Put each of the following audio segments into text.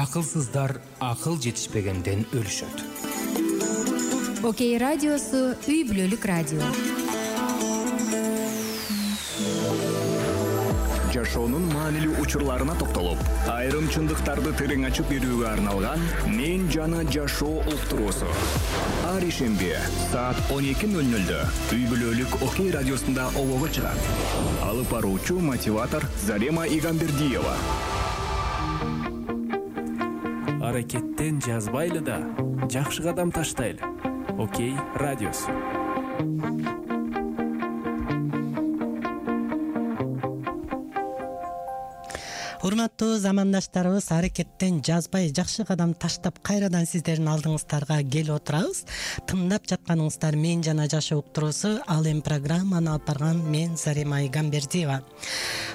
Акылсыздар акыл жетишпегенден өлүшөт. Окей радиосу үй бүлөлүк радио. Жашоонун маанилүү учурларына токтолуп, айрым чындыктарды терең ачып берүүгө арналган «Мен жана жашоо» уктуруусу. Ар ишемби саат 12:00 үй бүлөлүк Окей радиосунда обого чыгат. Алып баруучу мотиватор Зарема Игамбердиева. Аракеттен жазбайлы да, жакшы кадам таштайлы. Окей радиосу. Урматтуу замандаштарыбыз, аракеттен жазбай жакшы кадам таштап кайрадан сиздердин алдыңыздарга келип отурабыз. Тыңдап жатканыңыздар «Мен жана жашоо» уктуруусу. Ал эми программаны алып барган мен Зарема Игамбердиева.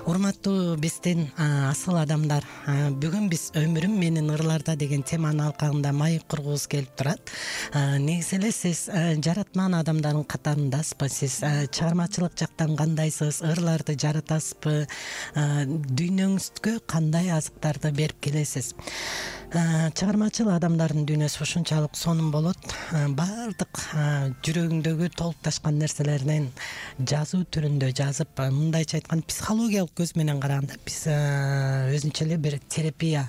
Урматтуу биздин асыл адамдар, бүгүн биз «Өмүрүм менин ырларда» деген теманын алкагында маек кургубуз келип турат. Негизи эле сиз жаратман адамдардын катарындасызбы? Сиз чыгармачылык жактан кандайсыз? Ырларды жаратасызбы? Дүйнөңүзгө кандай азыктарды берип келесиз? Чыгармачыл адамдардын дүйнөсү ушунчалык сонун болот. Баардык жүрөгүндөгү толукташкан нерселерден жазуу түрүндө жазып, мындайча айтканда психологиялык көз менен караганда биз өзүнчө эле бир терапия,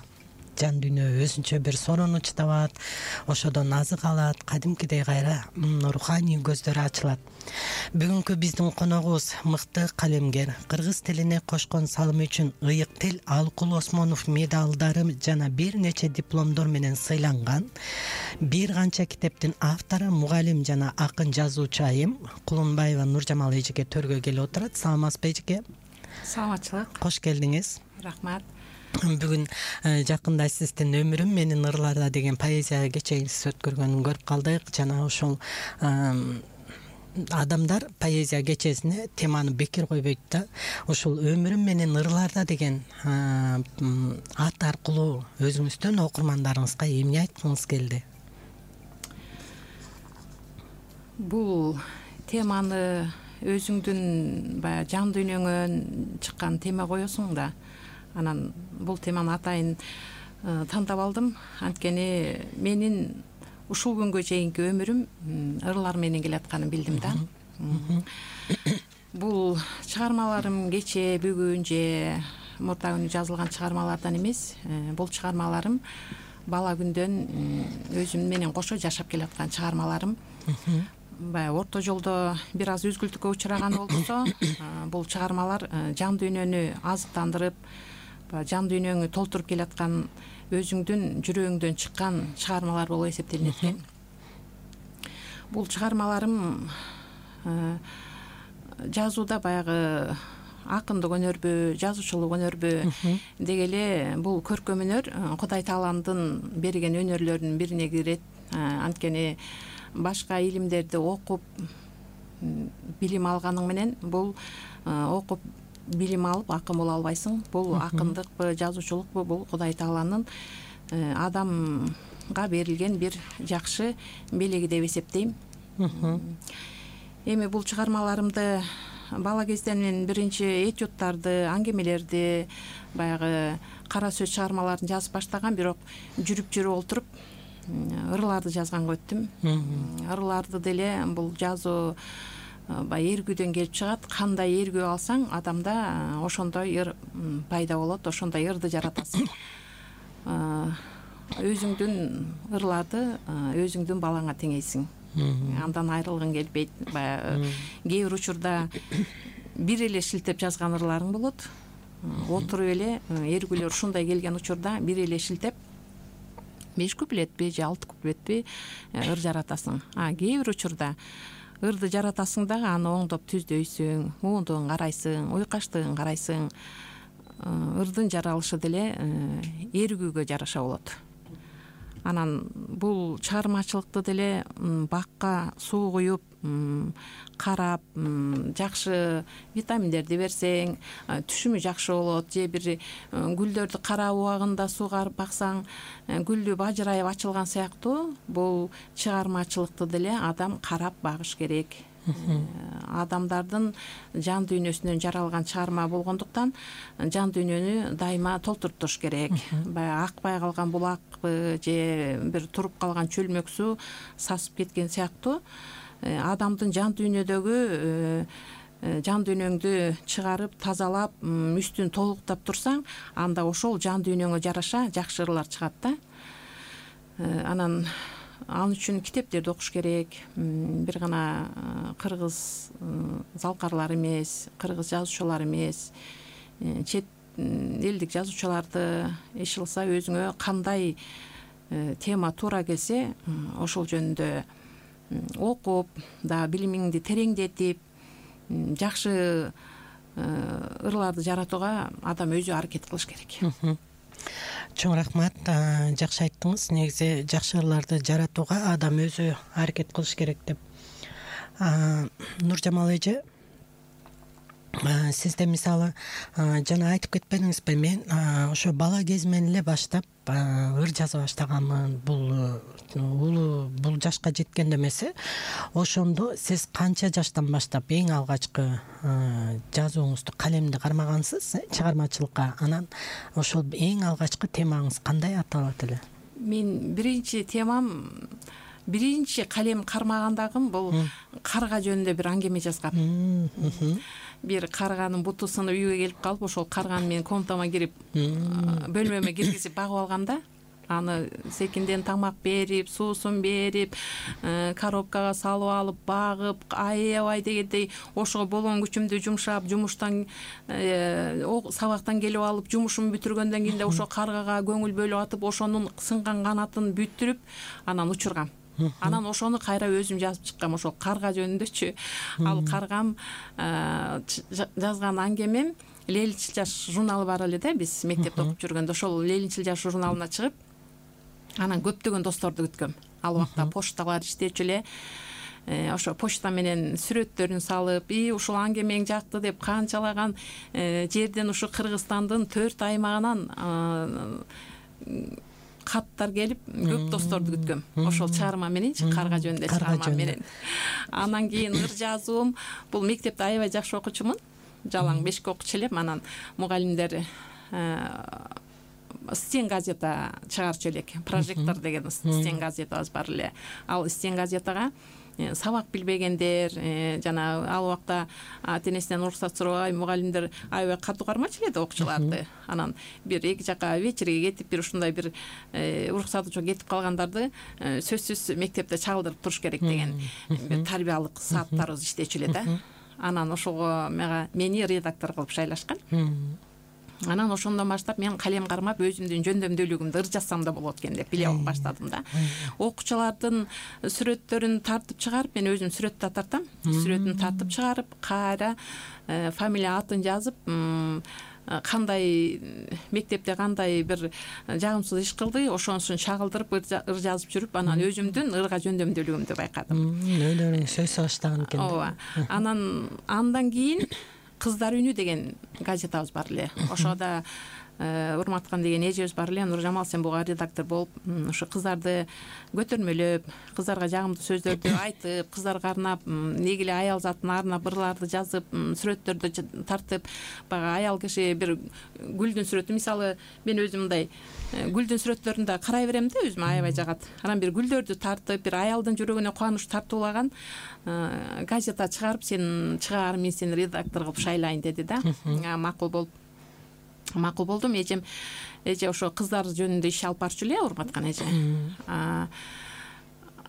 жан дүйнө өзүнчө бир сорунуч табат, ошодон азык алат, кадимкидей кайра руханий көздөрү ачылат. Бүгүнкү биздин коногубуз мыкты калемгер, кыргыз тилине кошкон салымы үчүн Ыйык тил Алыкул Осмонов медалдары жана бир нече дипломдор менен сыйланган, бир канча китептин автору, мугалим жана акын жазуучу айым Кулунбаева Нуржамал эжеке төргө келип отурат. Саламатсызбы эжеке? Саламатчылык. Кош келдиңиз. Рахмат. Бүгүн жакында сиздин «Өмүрүм менин ырларда» деген поэзия кечегиңиз өткөргөнүн көрүп калдык. Жана ошол адамдар поэзия кечесине теманы бекер койбойт да. Ушул «Өмүрүм менин ырларда» деген ат аркылуу өзүңүздөн окурмандарыңызга эмне айткыңыз келди? Бул теманы өзүңдүн баягы жан дүйнөңөн чыккан тема коесуң да. Анан бул теманы атайын тандап алдым. Анткени менин ушул күнгө чейинки өмүрүм ырлар менен келатканын билдим да. Бул чыгармаларым кече, бүгүн же мурда күнү жазылган чыгармалардан эмес. Бул чыгармаларым бала күндөн өзүм менен кошо жашап келаткан чыгармаларым. Баягы орто жолдо бир аз үзгүлтүккө учураган болсо, бул чыгармалар жан дүйнөнү азыктандырып, жан дүйнөңү толтуруп келаткан, өзүңдүн жүрөгүңдөн чыккан чыгармалар болуп эсептелинет экен. Бул чыгармаларым жазууда баягы акындык өнөрбү, жазуучулук өнөрбү деги эле бул көркөм өнөр Кудай Тааланын берген өнөрлөрүнүн бирине кирет. Анткени башка илимдерди окуп билим алганың менен бул окуп билим алып акын боло албайсың. Бул акындыкпы, жазуучулукпу, бул Кудай Тааланын адамга берилген бир жакшы белеги деп эсептейм. Эми бул чыгармаларымды бала кезден биринчи этюдтарды, аңгемелерди, баягы кара сөз чыгармаларын жазып баштаган, бирок жүрүп отуруп ырларды жазганга өттүм. Ырларды деле бул жазуу баягы эргүүдөн келип чыгат. Кандай эргүү алсаң, адамда ошондой ыр пайда болот, ошондой ырды жаратасың. Өзүңдүн ырларды өзүңдүн балаңа теңейсиң. Андан айрылгың келбейт. Баягы кээ бир учурда бир эле шилтеп жазган ырларың болот. Отуруп эле эргүүлөр ушундай келген учурда бир эле шилтеп 5 куплетпи же 6 куплетпи ыр жаратасың. Кээ бир учурда ырды жаратасың дагы аны оңдоп түздөйсүң, муундугун карайсың, уйкаштыгын карайсың. Ырдын жаралышы деле эргүүгө жараша болот. Анан бул чыгармачылыкты деле бакка суу куюп, карап, жакшы витаминдерди берсең, түшүмү жакшы болот. Же бир гүлдөрдү карап убагында суугарып баксаң, гүлү бажырайып ачылган сыяктуу бул чыгармачылыкты деле адам карап багыш керек. Адамдардын жан дүйнөсүнөн жаралган чыгарма болгондуктан жан дүйнөнү дайыма толтуруп туруш керек. Баягы акпай калган булакпы же бир туруп калган чөлмөк суу сасып кеткен сыяктуу адамдын жан дүйнөдөгү жан дүйнөңдү чыгарып тазалап үстүн толуктап турсаң, анда ошол жан дүйнөңө жараша жакшы ырлар чыгат да. Анан ал үчүн китептерди окуш керек. Бир гана кыргыз залкарлар эмес, кыргыз жазуучулар эмес, чет элдик жазуучуларды эч кылса өзүңө кандай тема туура келсе, ошол жөнүндө окуп, да билимиңди тереңдетип, жакшы ырларды жаратууга адам өзү аракет кылыш керек. Чоң рахмат, жакшы айттыңыз. Негизи жакшы ырларды жаратууга адам өзү аракет кылыш керек деп. Нуржамал эже, сизде мисалы жана айтып кетпедиңизби, мен ошо бала кезимден эле баштап ыр жаза баштаганмын. Бул жашка жеткенде эмеси. Ошондо сиз канча жаштан баштап эң алгачкы жазууңузду, калемди кармагансыз чыгармачылыкка? Анан ошол эң алгачкы темаңыз кандай аталат эле? Мен биринчи калем кармагандагым бул карга жөнүндө бир аңгеме жазгам. Бир карганын буту сынып үйгө келип калып, ошол карганы менин комнатама кирип, бөлмөмө киргизип багып алгам да. Аны секинден тамак берип, суусун берип, коробкага салып алып, багып, аябай дегендей ошого болгон күчүмдү жумшап, жумуштан сабактан келип алып, жумушумду бүтүргөндөн кийин ошо каргага көңүл бөлүп атып, ошонун сынган канатын бүтүрүп, анан учургам. Анан ошону кайра өзүм жазып чыккам, ошол карга жөнүндөчү. Ал каргам жазган аңгемем Лелинчил жаш журналы бар эле да, биз мектепте окуп жүргөндө ошол Лелинчил жаш журналына чыгып, анан көптөгөн досторду күткөм. Ал убакта почталар иштечү эле. Ошо почта менен сүрөттөрүн салып, ушул аңгемең жакты деп канчалаган жерден ушу Кыргызстандын 4 аймагынан каттар келип, көп досторду күткөм. Ошол чыгарма мененчи, карга жөнүндө чыгарма менен. Анан кийин ыр жазуум, бул мектепте аябай жакшы окуучумун. Жалаң 5 окуучу элем. Анан мугалимдер Стен газета чыгарчу элек. Прожектор деген Стен газетабыз бар эле. Ал Стен газетага сабак билбегендер, жана ал убакта ата-энесинен уруксат сурабай мугалимдер аябай катуу кармачу эле окуучуларды. Анан бир эки жака вечерге кетип, бир ушундай бир уруксаты жок кетип калгандарды сөзсүз мектепте чагылдырып туруш керек деген бир тарбиялык сааттарыбыз иштечү эле да. Анан ошого мени редактор кылып шайлашкан. Анан ошондон баштап мен калем кармап, өзүмдүн жөндөмдүүлүгүмдү ыр жазсам да болот экен деп биле баштадым да. Окуучулардын сүрөттөрүн тартып чыгарып, мен өзүм сүрөт да тартам. Сүрөтүн тартып чыгарып, кайра фамилия атын жазып, кандай мектепте кандай бир жагымсыз иш кылды, ошонусун чагылдырып ыр жазып жүрүп, анан өзүмдүн ырга жөндөмдүүлүгүмдү байкадым. Өлөрүң сөз салыштаган экен. Ооба. Андан кийин Кыздар үнү деген газетабыз бар эле. Ошода урматкан деген эжебиз бар эле. Нуржамал, сен буга редактор болуп, ушу кыздарды көтөрмөлөп, кыздарга жагымдуу сөздөрдү айтып, кыздарга арнап, неги эле аял затына арнап ырларды жазып, сүрөттөрдү тартып, баягы аял киши бир гүлдүн сүрөтү, мисалы, мен өзүм мындай гүлдүн сүрөттөрүн да карай берем да, өзүмө аябай жагат. Анан бир гүлдөрдү тартып, бир аялдын жүрөгүнө кубаныч тартуулаган газета чыгарып, сен чыгар, мен сени редактор кылып шайлайын деди да. Макул болдум. Эже ошо кыздар жөнүндө иш алып барчу эле, урматкан эже.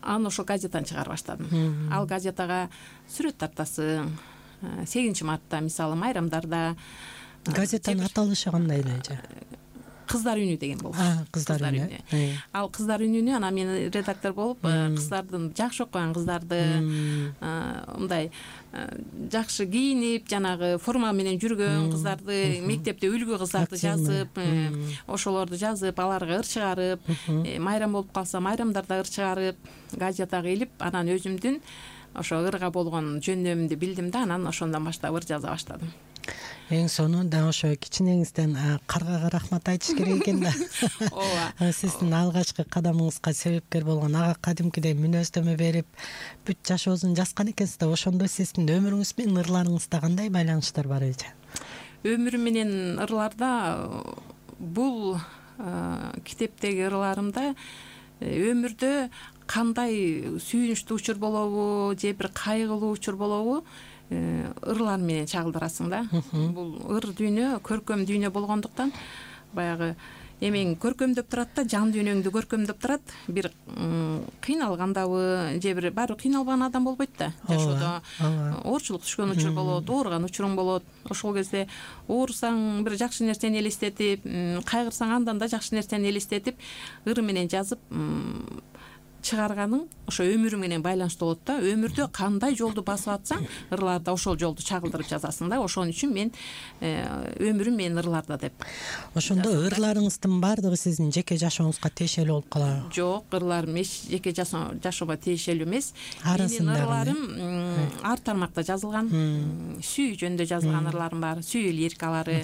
Аны ошо газетаны чыгарып баштадым. Ал газетага сүрөт тартасың. 8 мартта, мисалы, майрамдарда. Газетанын аталышы кандай эле эже? Кыздар үнү деген болчу. Кыздар үнү. Ал Кыздар үнүнү анан мен редактор болуп, кыздардын жакшы окуган кыздарды, мындай жакшы кийинип, жанагы форма менен жүргөн кыздарды, мектепте үлгү кыздарды жазып, ошолорду жазып, аларга ыр чыгарып, майрам болуп калса майрамдарда ыр чыгарып, газетага илип, анан өзүмдүн ошо ырга болгон жөндөмүмдү билдим да, анан ошондон баштап ыр жаза баштадым. Эң сонунда ошо кичинеңизден каргага рахмат айтыш керек экен да. ооба, Сиздин алгачкы кадамыңызга себепкер болгон ага кадимкидей мүнөздөмө берип бүт жашоосун жазган экенсиз да. Ошондо сиздин өмүрүңүз менен ырларыңызда кандай байланыштар бар эже? Өмүрүм менен ырларда бул китептеги ырларымда өмүрдө кандай сүйүнүчтүү учур болобу же бир кайгылуу учур болобу ырлар менен чагылдырасың да. Бул ыр дүйнө көркөм дүйнө болгондуктан баягы эмең көркөмдөп турат да, жан дүйнөңдү көркөмдөп турат. Бир кыйналгандабы же бир баары кыйналбаган адам болбойт да жашоодо. Оорчулук түшкөн учур болот, ооруган учуруң болот. Ошол кезде оорусаң бир жакшы нерсени элестетип, кайгырсаң андан да жакшы нерсени элестетип ыр менен жазып чыгарганың ошо өмүрүң менен байланыштуу болот да. Өмүрдө кандай жолду басып атсаң, ырларда ошол жолду чагылдырып жазасың да. Ошон үчүн мен өмүрүм менин ырларда деп. Ошондо ырларыңыздын баардыгы сиздин жеке жашооңузга тиешелүү болуп калабы? Жок, ырларым эч жеке жашоoma тиешелүү эмес. Арасында менин ырларым ар тармакта жазылган. Сүйүү жөнүндө жазылган ырларым бар, сүйүү лирикалары,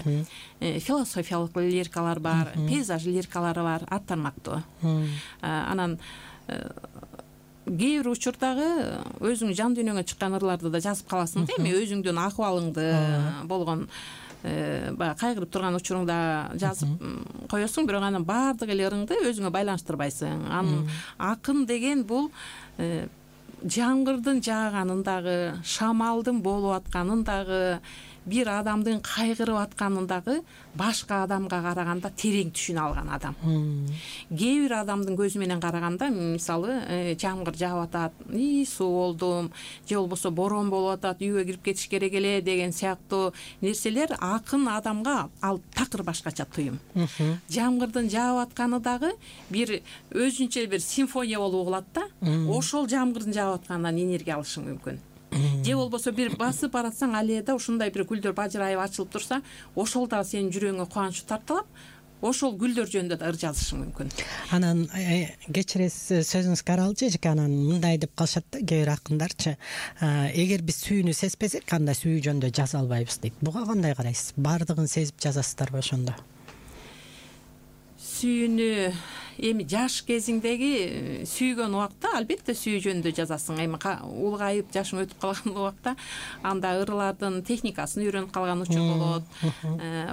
философиялык лирикалар бар, пейзаж лирикалары бар, ар тармактуу. Анан кээ бир учурдагы өзүңүн жан дүйнөңө чыккан ырларды да жазып каласың да. Эми өзүңдүн акыбалыңды болгон баягы кайгырып турган учуруңда жазып коесуң, бирок анын баардык эле ырыңды өзүңө байланыштырбайсың. Анын акын деген бул жамгырдын жааганын дагы, шамалдын болуп атканын дагы, бир адамдын кайгырып атканын дагы башка адамга караганда терең түшүнө алган адам. Кээ бир адамдын көзү менен караганда, мисалы, жамгыр жаап атат, суу болдум, же болбосо борон болуп атат, үйгө кирип кетиш керек эле деген сыяктуу нерселер акын адамга ал такыр башкача туюм. Жамгырдын жаап атканы дагы бир өзүнчө бир симфония болуп угулат да. Ошол жамгырдын жаап атканынан энергия алышың мүмкүн. Же болбосо бир басып баратсаң, аллеяда ушундай бир гүлдөр бажырайып ачылып турса, ошол дагы сенин жүрөгүңө кубанычты тарталап, ошол гүлдөр жөнүндө да ыр жазышың мүмкүн. Анан кечиресиз, сөзүңүзгө аралчы эжеке, анан мындай деп калышат да кээ бир акындарчы, эгер биз сүйүүнү сезбесек, анда сүйүү жөнүндө жаза албайбыз дейт. Буга кандай карайсыз? Баардыгын сезип жазасыздарбы ошондо? Сүйүүнү эми жаш кезиңдеги сүйгөн убакта албетте сүйүү жөнүндө жазасың. Эми улгайып жашың өтүп калган убакта анда ырлардын техникасын үйрөнүп калган учур болот.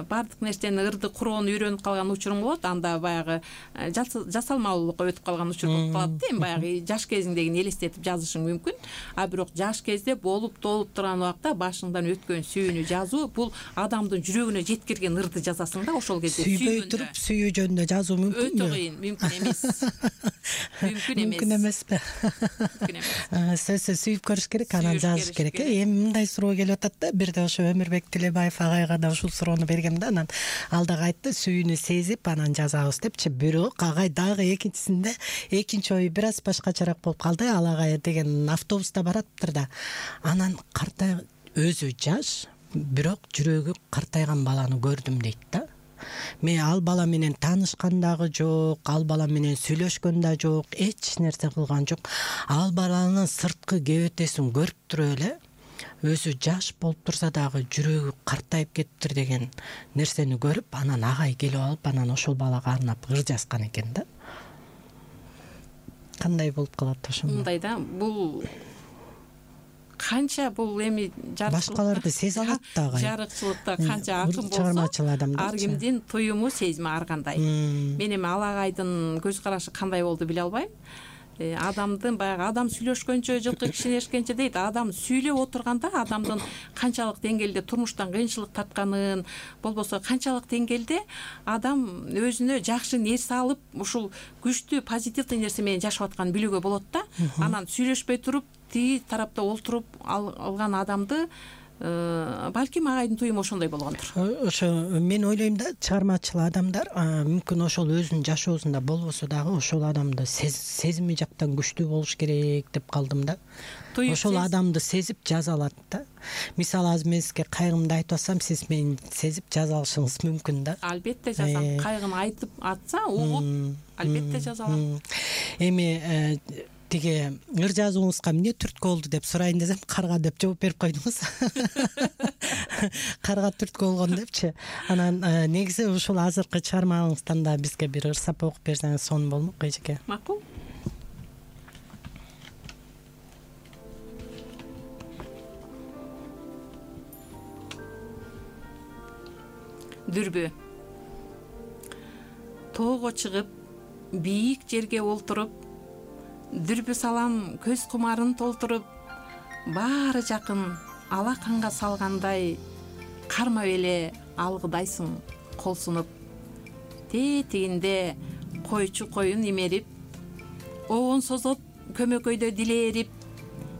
Бардык нерсени ырды куроону үйрөнүп калган учуруң болот. Анда баягы жасалмалуулукка өтүп калган учур болуп калат да. Эми баягы жаш кезиңдегини элестетип жазышың мүмкүн. А бирок жаш кезде болуп толуп турган убакта башыңдан өткөн сүйүүнү жазуу бул адамдын жүрөгүнө жеткирген ырды жазасың да. Ошол кезде сүйбөй туруп сүйүү жөнүндө жазуу мүмкүнбү? Өтө кыйын, мүмкүн эмес. Мүмкүн эмеспи? Сөзсүз сүйүп көрүш керек, анан жазыш керек. Эми мындай суроо келип атат да, бирде ошо Өмүрбек Тилебаев агайга да ушул суроону бергем да, анан ал дагы айтты, сүйүүнү сезип анан жазабыз депчи. Бирок агай дагы экинчисинде экинчи ою бир аз башкачараак болуп калды. Ал агай деген автобуста бараттыр да, анан өзү жаш, бирок жүрөгү картайган баланы көрдүм дейт да. Мен ал бала менен таанышкан дагы жок, ал бала менен сүйлөшкөн да жок, эч нерсе кылган жок. Ал баланын сырткы кебетесин көрүп туруп эле, өзү жаш болуп турса дагы жүрөгү картайып кетиптир деген нерсени көрүп, анан агай келип алып, анан ошол балага арнап ыр жазган экен да. Кандай болуп калат ошондо? Мындай да, бул канча бул эми башкаларды сезе алат дагы. Жарыкчылыкта канча акын болсо, ар кимдин туюму, сезими ар кандай. Мен эми ал агайдын көз карашы кандай болду биле албайм. Адамдын баягы адам сүйлөшкөнчө жылкы кишинешкенче дейт. Адам сүйлөп отурганда адамдын канчалык деңгээлде турмуштан кыйынчылык тартканын, болбосо канчалык деңгээлде адам өзүнө жакшы нерсе алып, ушул күчтүү позитивдүү нерсе менен жашап атканын билүүгө болот да. Анан сүйлөшпөй туруп, тиги тарапта олтуруп алган адамды балким агайдын туюму ошондой болгондур. Ошо мен ойлойм да, чыгармачыл адамдар мүмкүн ошол өзүнүн жашоосунда болбосо дагы ошол адамды сезими жактан күчтүү болуш керек деп калдым да. Ошол адамды сезип жаза алат да. Мисалы, азыр мен сизге кайгымды айтып атсам, сиз мени сезип жаза алышыңыз мүмкүн да. Албетте жазам. Кайгын айтып атса, угуп, албетте жаза алам. Эми тиги ыр жазууңузга эмне түрткү болду деп сурайын десем, карга деп жооп берип койдуңуз. Карга түрткү болгон депчи. Анан негизи ушул азыркы чыгармаңыздан да бизге бир ырсап окуп берсеңиз сонун болмок эжеке. Макул. Дүрбү. Тоого чыгып, бийик жерге олтуруп, дүрбү салам көз кумарын толтуруп, баары жакын алаканга салгандай, кармап эле алгыдайсың кол сунуп. Тетигинде койчу коюн имерип, обон созот көмөкөйдө дилерип,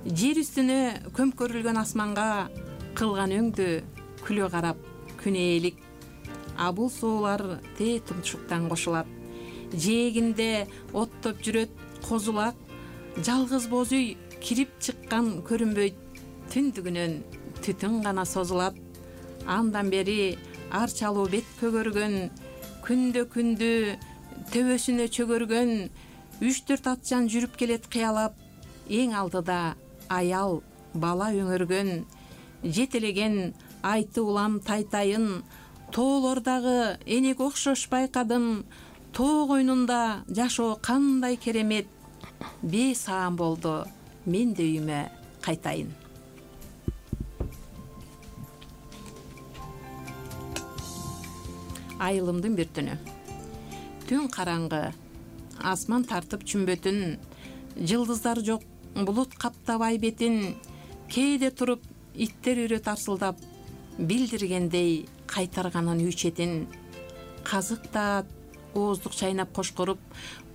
жер үстүнө көмкөрүлгөн асманга кылган өңдү күлө карап күнээлик. А бул суулар те тумшуктан кошулат. Жээгинде оттоп жүрөт козулак, жалгыз боз үй кирип чыккан көрүнбөйт, түндүгүнөн түтүн гана созулат. Андан бери арчалуу бет көгөргөн, күндө төбөсүнө чөгөргөн, 3-4 атчан жүрүп келет кыялап, эң алдыда аял бала өңөргөн, жетелеген айты улам тайтайын, тоолордагы энеге окшош байкадым, тоо койнунда жашоо кандай керемет, бесаам болду, мен да үйүмө кайтайын. Айылымдын бир түнү. Түн караңгы, асман тартып чүмбөтүн, жылдыздар жок, булут каптабай бетин, кээде туруп иттер үрөт арсылдап, билдиргендей кайтарганын үй четин. Казык таат, ооздук чайнап кошкоруп,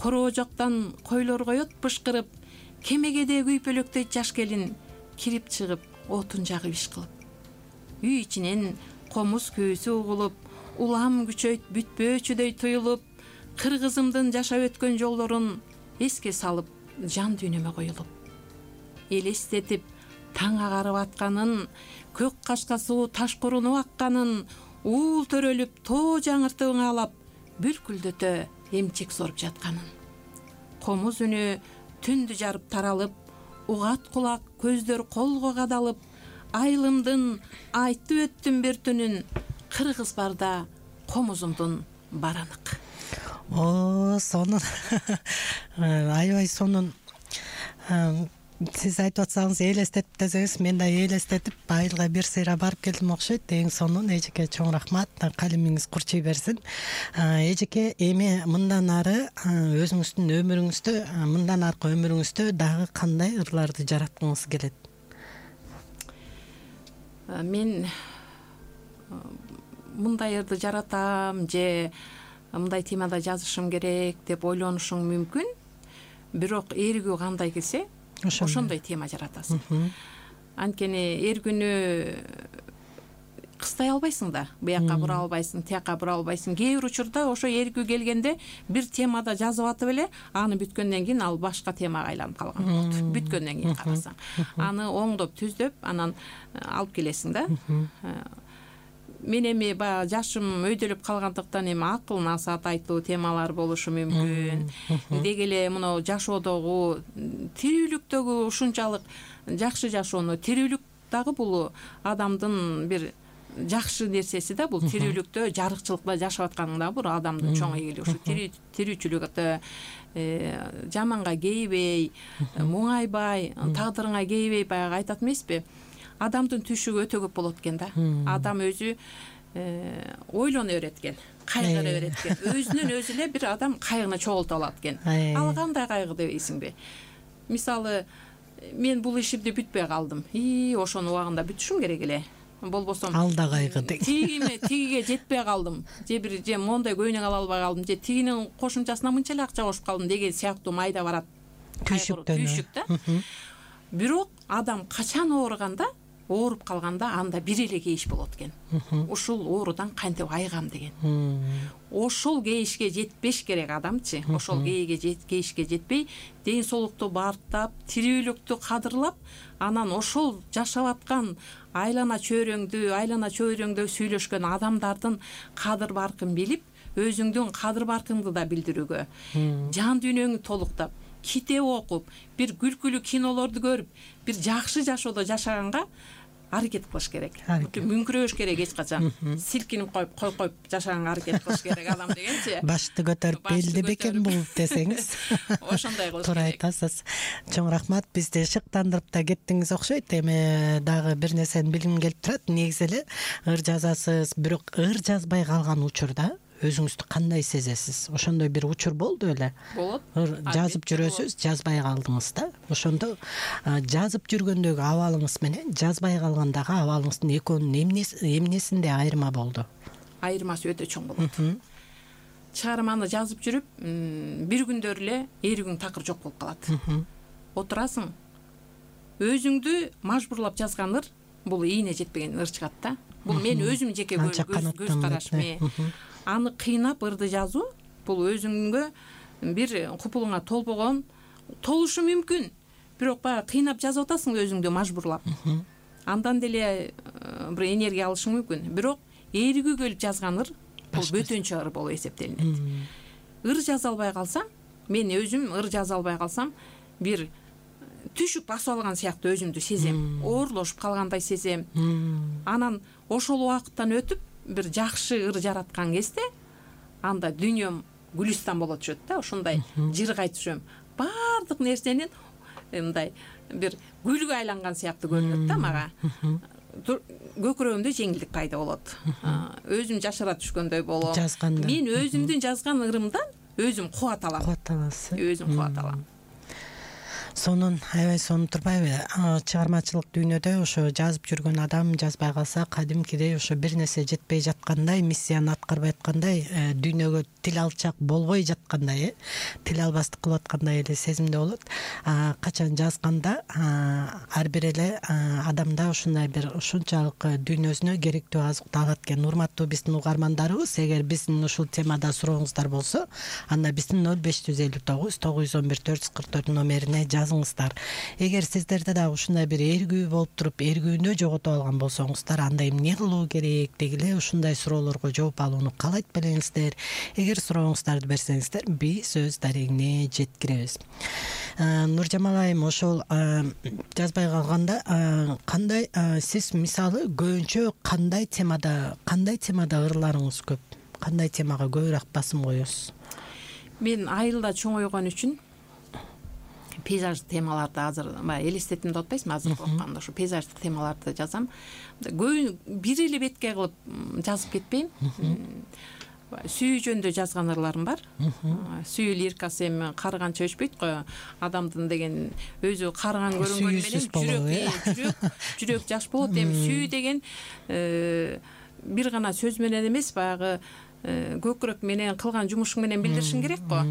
короо жоктан койлор коет бышкырып, кемегеде күйпөлөктөйт жаш келин, кирип чыгып отун жагып иш кылып. Үй ичинен комуз күүсү угулуп, улам күчөйт бүтпөөчүдөй туюлуп, кыргызымдын жашап өткөн жолдорун эске салып, жан дүйнөмө коюлуп. Элестетип таң агарып атканын, көк кашка суу таш курунуп акканын, уул төрөлүп тоо жаңыртып ыңалап, бүлкүлдөтө эмчек соруп жатканын. Комуз үнү түндү жарып таралып, угат кулак көздөр колго кадалып, айылымдын айтып өттүм бир түнүн, кыргыз барда комузумдун баранык. Сонун. Аябай сонун. Сиз айтып атсаңыз, элестетип десеңиз, мен да элестетип айылга бир сыйра барып келдим окшойт. Эң сонун. Эжеке чоң рахмат. Калемиңиз курчуй берсин. Эжеке, эми мындан ары өзүңүздүн өмүрүңүздө, мындан аркы өмүрүңүздө дагы кандай ырларды жараткыңыз келет? Мен мындай ырды жаратам же мындай темада жазышым керек деп ойлонушуң мүмкүн. Бирок эргүү кандай келсе, ошондой тема жаратасың. Анткени эргүүнү кыстай албайсың да, буяка бура албайсың, тияка бура албайсың. Кээ бир учурда ошо эргүү келгенде бир темада жазып атып эле, аны бүткөндөн кийин ал башка темага айланып калган болот. Бүткөндөн кийин карасаң, аны оңдоп, түздөп, анан алып келесиң да. Мен эми баягы жашым өйдөлүп калгандыктан эми акыл насаат айтуу темалар болушу мүмкүн. Деги эле мына жашоодогу, тирүүлүктөгү ушунчалык жакшы жашоону, тирүүлүк дагы бул адамдын бир жакшы нерсеси да, бул тирүүлүктө, жарыкчылыкта жашап атканың да бул адамдын чоң ийгилиги. Ушу тирүүчүлүктө жаманга кейбей, муңайбай, тагдырыңа кейбей, баягы айтат эмеспи? Адамдын түшүгү өтө көп болот экен да. Адам өзү ойлоно берет экен, кайгыра берет экен. Өзүнөн өзү эле бир адам кайгыны чогултуп алат экен. Ал кандай кайгы дебейсиңби? Мисалы, мен бул ишимди бүтпөй калдым. Ошонун убагында бүтүшүм керек эле. Болбосо алда кайгы дег. Тигиге жетпей калдым. Же мондай көйнөк ала албай калдым. Же тигинин кошумчасына мынча эле акча кошуп калдым деген сыяктуу майда барат. Түйшүк да. Бирок адам качан ооруганда, ооруп калганда, анда бир эле кейиш болот экен. Ушул оорудан кантип айыгам деген. Ошол кейишке жетпеш керек адамчы. Ошол кейишке жетпей, ден соолукту баартап, тирүүлүктү кадырлап, анан ошол жашап аткан айлана чөйрөңдө сүйлөшкөн адамдардын кадыр баркын билип, өзүңдүн кадыр баркыңды да билдирүүгө, жан дүйнөңү толуктап, китеп окуп, бир күлкүлүү кинолорду көрүп, бир жакшы жашоодо жашаганга аракет кылыш керек. Мүңкүрөш керек эч качан. Силкинип коюп жашаганга аракет кылыш керек адам дегенчи. Башты көтөрүп белди бекен бул десеңиз. Ошондой кылыш керек. Туура айтасыз. Чоң рахмат. Бизди шыктандырып да кеттиңиз окшойт. Эми дагы бир нерсени билгим келип турат. Негизи эле ыр жазасыз, бирок ыр жазбай калган учурда өзүңүздү кандай сезесиз? Ошондой бир учур болду беле? Болот. Жазып жүрөсүз, жазбай калдыңыз да. Ошондо жазып жүргөндөгү абалыңыз менен жазбай калгандагы абалыңыздын экөөнүн эмнесинде айырма болду? Айырмасы өтө чоң болот. Чыгарманы жазып жүрүп, бир күндөр эле эригиң такыр жок болуп калат. Отурасың, өзүңдү мажбурлап жазган ыр, бул ийине жетпеген ыр чыгат да. Бул мен өзүм жеке көз карашым. Аны кыйнап ырды жазуу, бул өзүңгө бир купулуңа толушу мүмкүн. Бирок баягы кыйнап жазып атасың өзүңдү мажбурлап. Андан деле бир энергия алышың мүмкүн. Бирок эригүү келип жазган ыр, бул бөтөнчө ыр болуп эсептелинет. Ыр жаза албай калсам, мен өзүм ыр жаза албай калсам, бир түшүп басып алган сыяктуу өзүмдү сезем. Оорлошуп калгандай сезем. Анан ошол убакыттан өтүп бир жакшы ыр жараткан кезде анда дүйнөм гүлүстан боло түшөт да, ошондой жыргай түшөм. Баардык нерсенин мындай бир гүлгө айланган сыяктуу көрүнөт да мага. Көкүрөгүмдө жеңилдик пайда болот. Өзүм жашыра түшкөндөй болом. Мен өзүмдүн жазган ырымдан өзүм кубат алам. Кубат аласыз. Өзүм кубат алам. Сонун аябай сонун турбайбы? Чыгармачылык дүйнөдө ошо жазып жүргөн адам жазбай калса кадимкидей ошо бир нерсе жетпей жаткандай, миссияны аткарбай аткандай, дүйнөгө тил алчак болбой жаткандай, тил албастык кылып аткандай эле сезимде болот. Качан жазганда ар бир эле адамда ушундай бир ушунчалык дүйнөсүнө керектүү азыкты алат экен. Урматтуу биздин угармандарыбыз, эгер биздин ушул темада сурооңуздар болсо, анда биздин 0559 911 444 номерине жазыңыздар. Эгер сиздерде да ушундай бир эргүү болуп туруп, эргүүнү жоготуп алган болсоңуздар, анда эмне кылуу керек дегиле ушундай суроолорго жооп алууну каалайт белеңиздер. Эгер сурооңуздарды берсеңиздер, биз өз дарегине жеткиребиз. Нуржамал айым, ошол жазбай калганда кандай сиз мисалы көбүнчө кандай темада ырларыңыз көп? Кандай темага көбүрөөк басым коесуз? Мен айылда чоңойгон үчүн пейзаждык темаларды азыр элестетимде отпайсызбы, азыр окуганда ошо пейзаждык темаларды жазам. Бир эле бетке кылып жазып кетпейм. Сүйүү жөнүндө жазган ырларым бар. Сүйүү лирикасы эми карыганча өчпөйт го. Адамдын деген өзү карыган көрүнгөнү менен жүрөк жаш болот. Эми сүйүү деген бир гана сөз менен эмес, баягы көкүрөк менен кылган жумушуң менен билдиришиң керек го.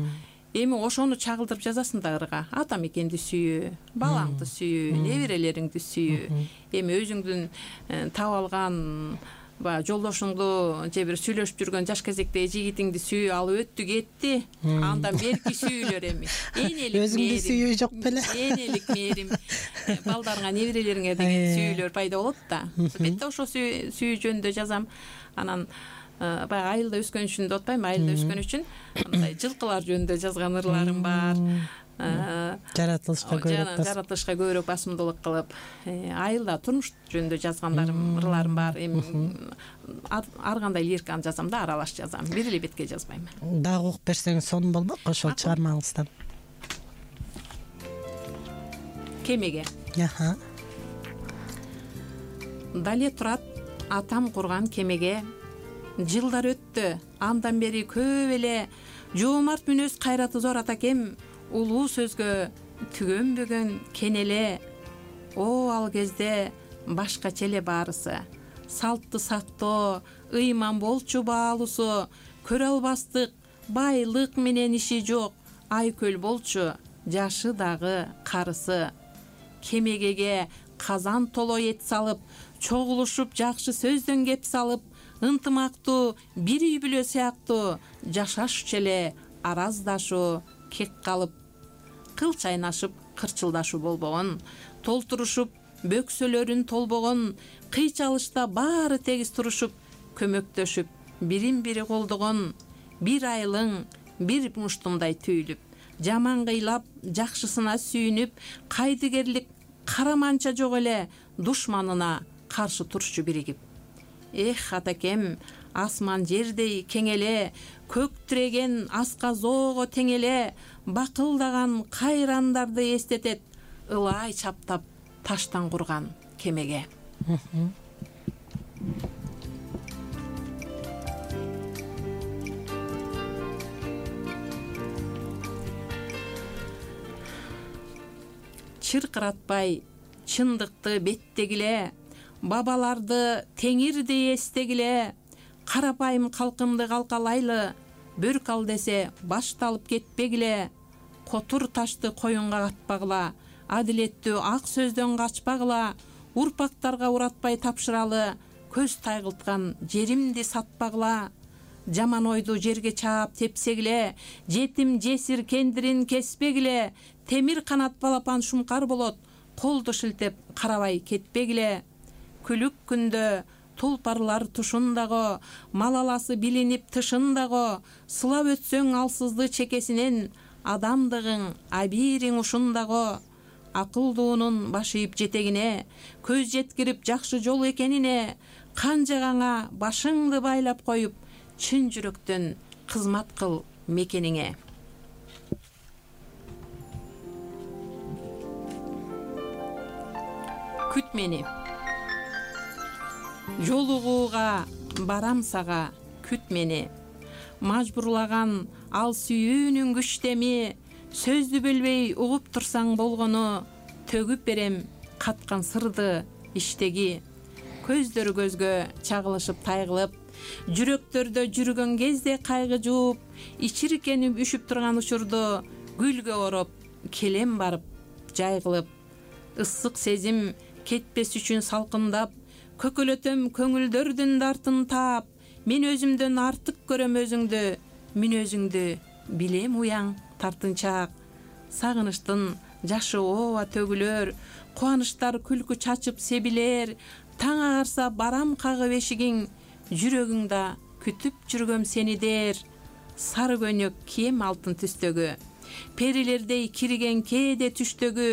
Эми ошону чагылдырып жазасың да ырга. Ата мекенди сүйүү, балаңды сүйүү, неберелериңди сүйүү. Эми өзүңдүн таап алган жолдошуңду же бир сүйлөшүп жүргөн жаш кезектеги жигитиңди сүйүү, ал өттү кетти. Андан берки сүйүүлөр эми энелик мээрим. Өзүңдү сүйүү жок беле? Энелик мээрим. Балдарыңа, неберелериңе деген сүйүүлөр пайда болот да. Бетте ошо сүйүү жөнүндө жазам. Анан баягы айылда өскөн үчүн деп атпайм, айылда өскөн үчүн мындай жылкылар жөнүндө жазган ырларым бар. Жаратылышка көбүрөөк басымдуулук кылып, айылда турмуш жөнүндө жазгандарым, ырларым бар. Эми ар кандай лириканы жазам да, аралаш жазам. Бир эле бетке жазбайм. Дагы окуп берсеңиз сонун болмок ошол чыгармаңыздан. Кемеге. Дале турат атам курган кемеге. Жылдар өттү, андан бери көп эле жоомарт мүнөз кайраты зор атакем, улуу сөзгө түгөнбөгөн кенеле. О ал кезде башкача эле баарысы, салтты сактоо, ыйман болчу баалуусу, көрө албастык байлык менен иши жок, айкөл болчу жашы дагы карысы. Кемегеге казан толо эт салып, чогулушуп жакшы сөздөн кеп салып, ынтымактуу бир үй бүлө сыяктуу жашашчу эле араздашуу кек калып, кыл чайнашып кырчылдашуу болбогон, толтурушуп бөксөлөрүн толбогон, кыйчалышта баары тегиз турушуп, көмөктөшүп бирин бири колдогон, бир айылың бир муштумдай түйүлүп, жаманга ыйлап жакшысына сүйүнүп, кайдыгерлик караманча жок эле душманына каршы турчу биригип. Эх, атакем, асман жердей кең эле, көк тиреген асказоого тең эле, бакылдаган кайрандарды эстетет, ылай чаптап таштан курган кемеге. Чыркыратпай чындыкты беттегиле, бабаларды теңирдей эстегиле, карапайым калкымды калкалайлы, бөрк ал десе башталып кетпегиле, котур ташты коюнга катпагыла, адилеттүү ак сөздөн качпагыла, урпактарга уратпай тапшыралы, көз тайгылткан жеримди сатпагыла, жаман ойду жерге чаап тепсегиле, жетим жесир кендирин кеспегиле, темир канат балапан шумкар болот, колду шилтеп карабай кетпегиле. Күлүк күндө тулпарлар тушундагы, малаласы билинип тышындагы, сылап өтсөң алсызды чекесинен, адамдыгың абириң ушундагы. Акылдуунун башыйып жетегине, көз жеткирип жакшы жол экенине, канжагаңа башыңды байлап коюп, чын жүрөктөн кызмат кыл мекениңе. Күт мени. Жолугууга барам сага, күт мени. Мажбурлаган ал сүйүүнүн күчтеми, сөздү бөлбөй угуп турсаң болгону, төгүп берем каткан сырды иштеги. Көздөр көзгө чагылышып тайгылып, жүрөктөрдө жүргөн кезде кайгы жууп, ичиркенип үшүп турган учурду гүлгө ороп, келем барып жайгылып. Ысык сезим кетпес үчүн салкындап, көкөлөтөм көңүлдөрдүн дартын таап, мен өзүмдөн артык көрөм өзүңдү, мүнөзүңдү билем уяң тартынчаак. Сагыныштын жашы ооба төгүлөр, кубанычтар күлкү чачып себилер, таң агарса барам кагып эшигиң, жүрөгүңдө күтүп жүргөм сени дер. Сары көнөк кийем алтын түстөгү, перилердей кирген кээде түштөгү,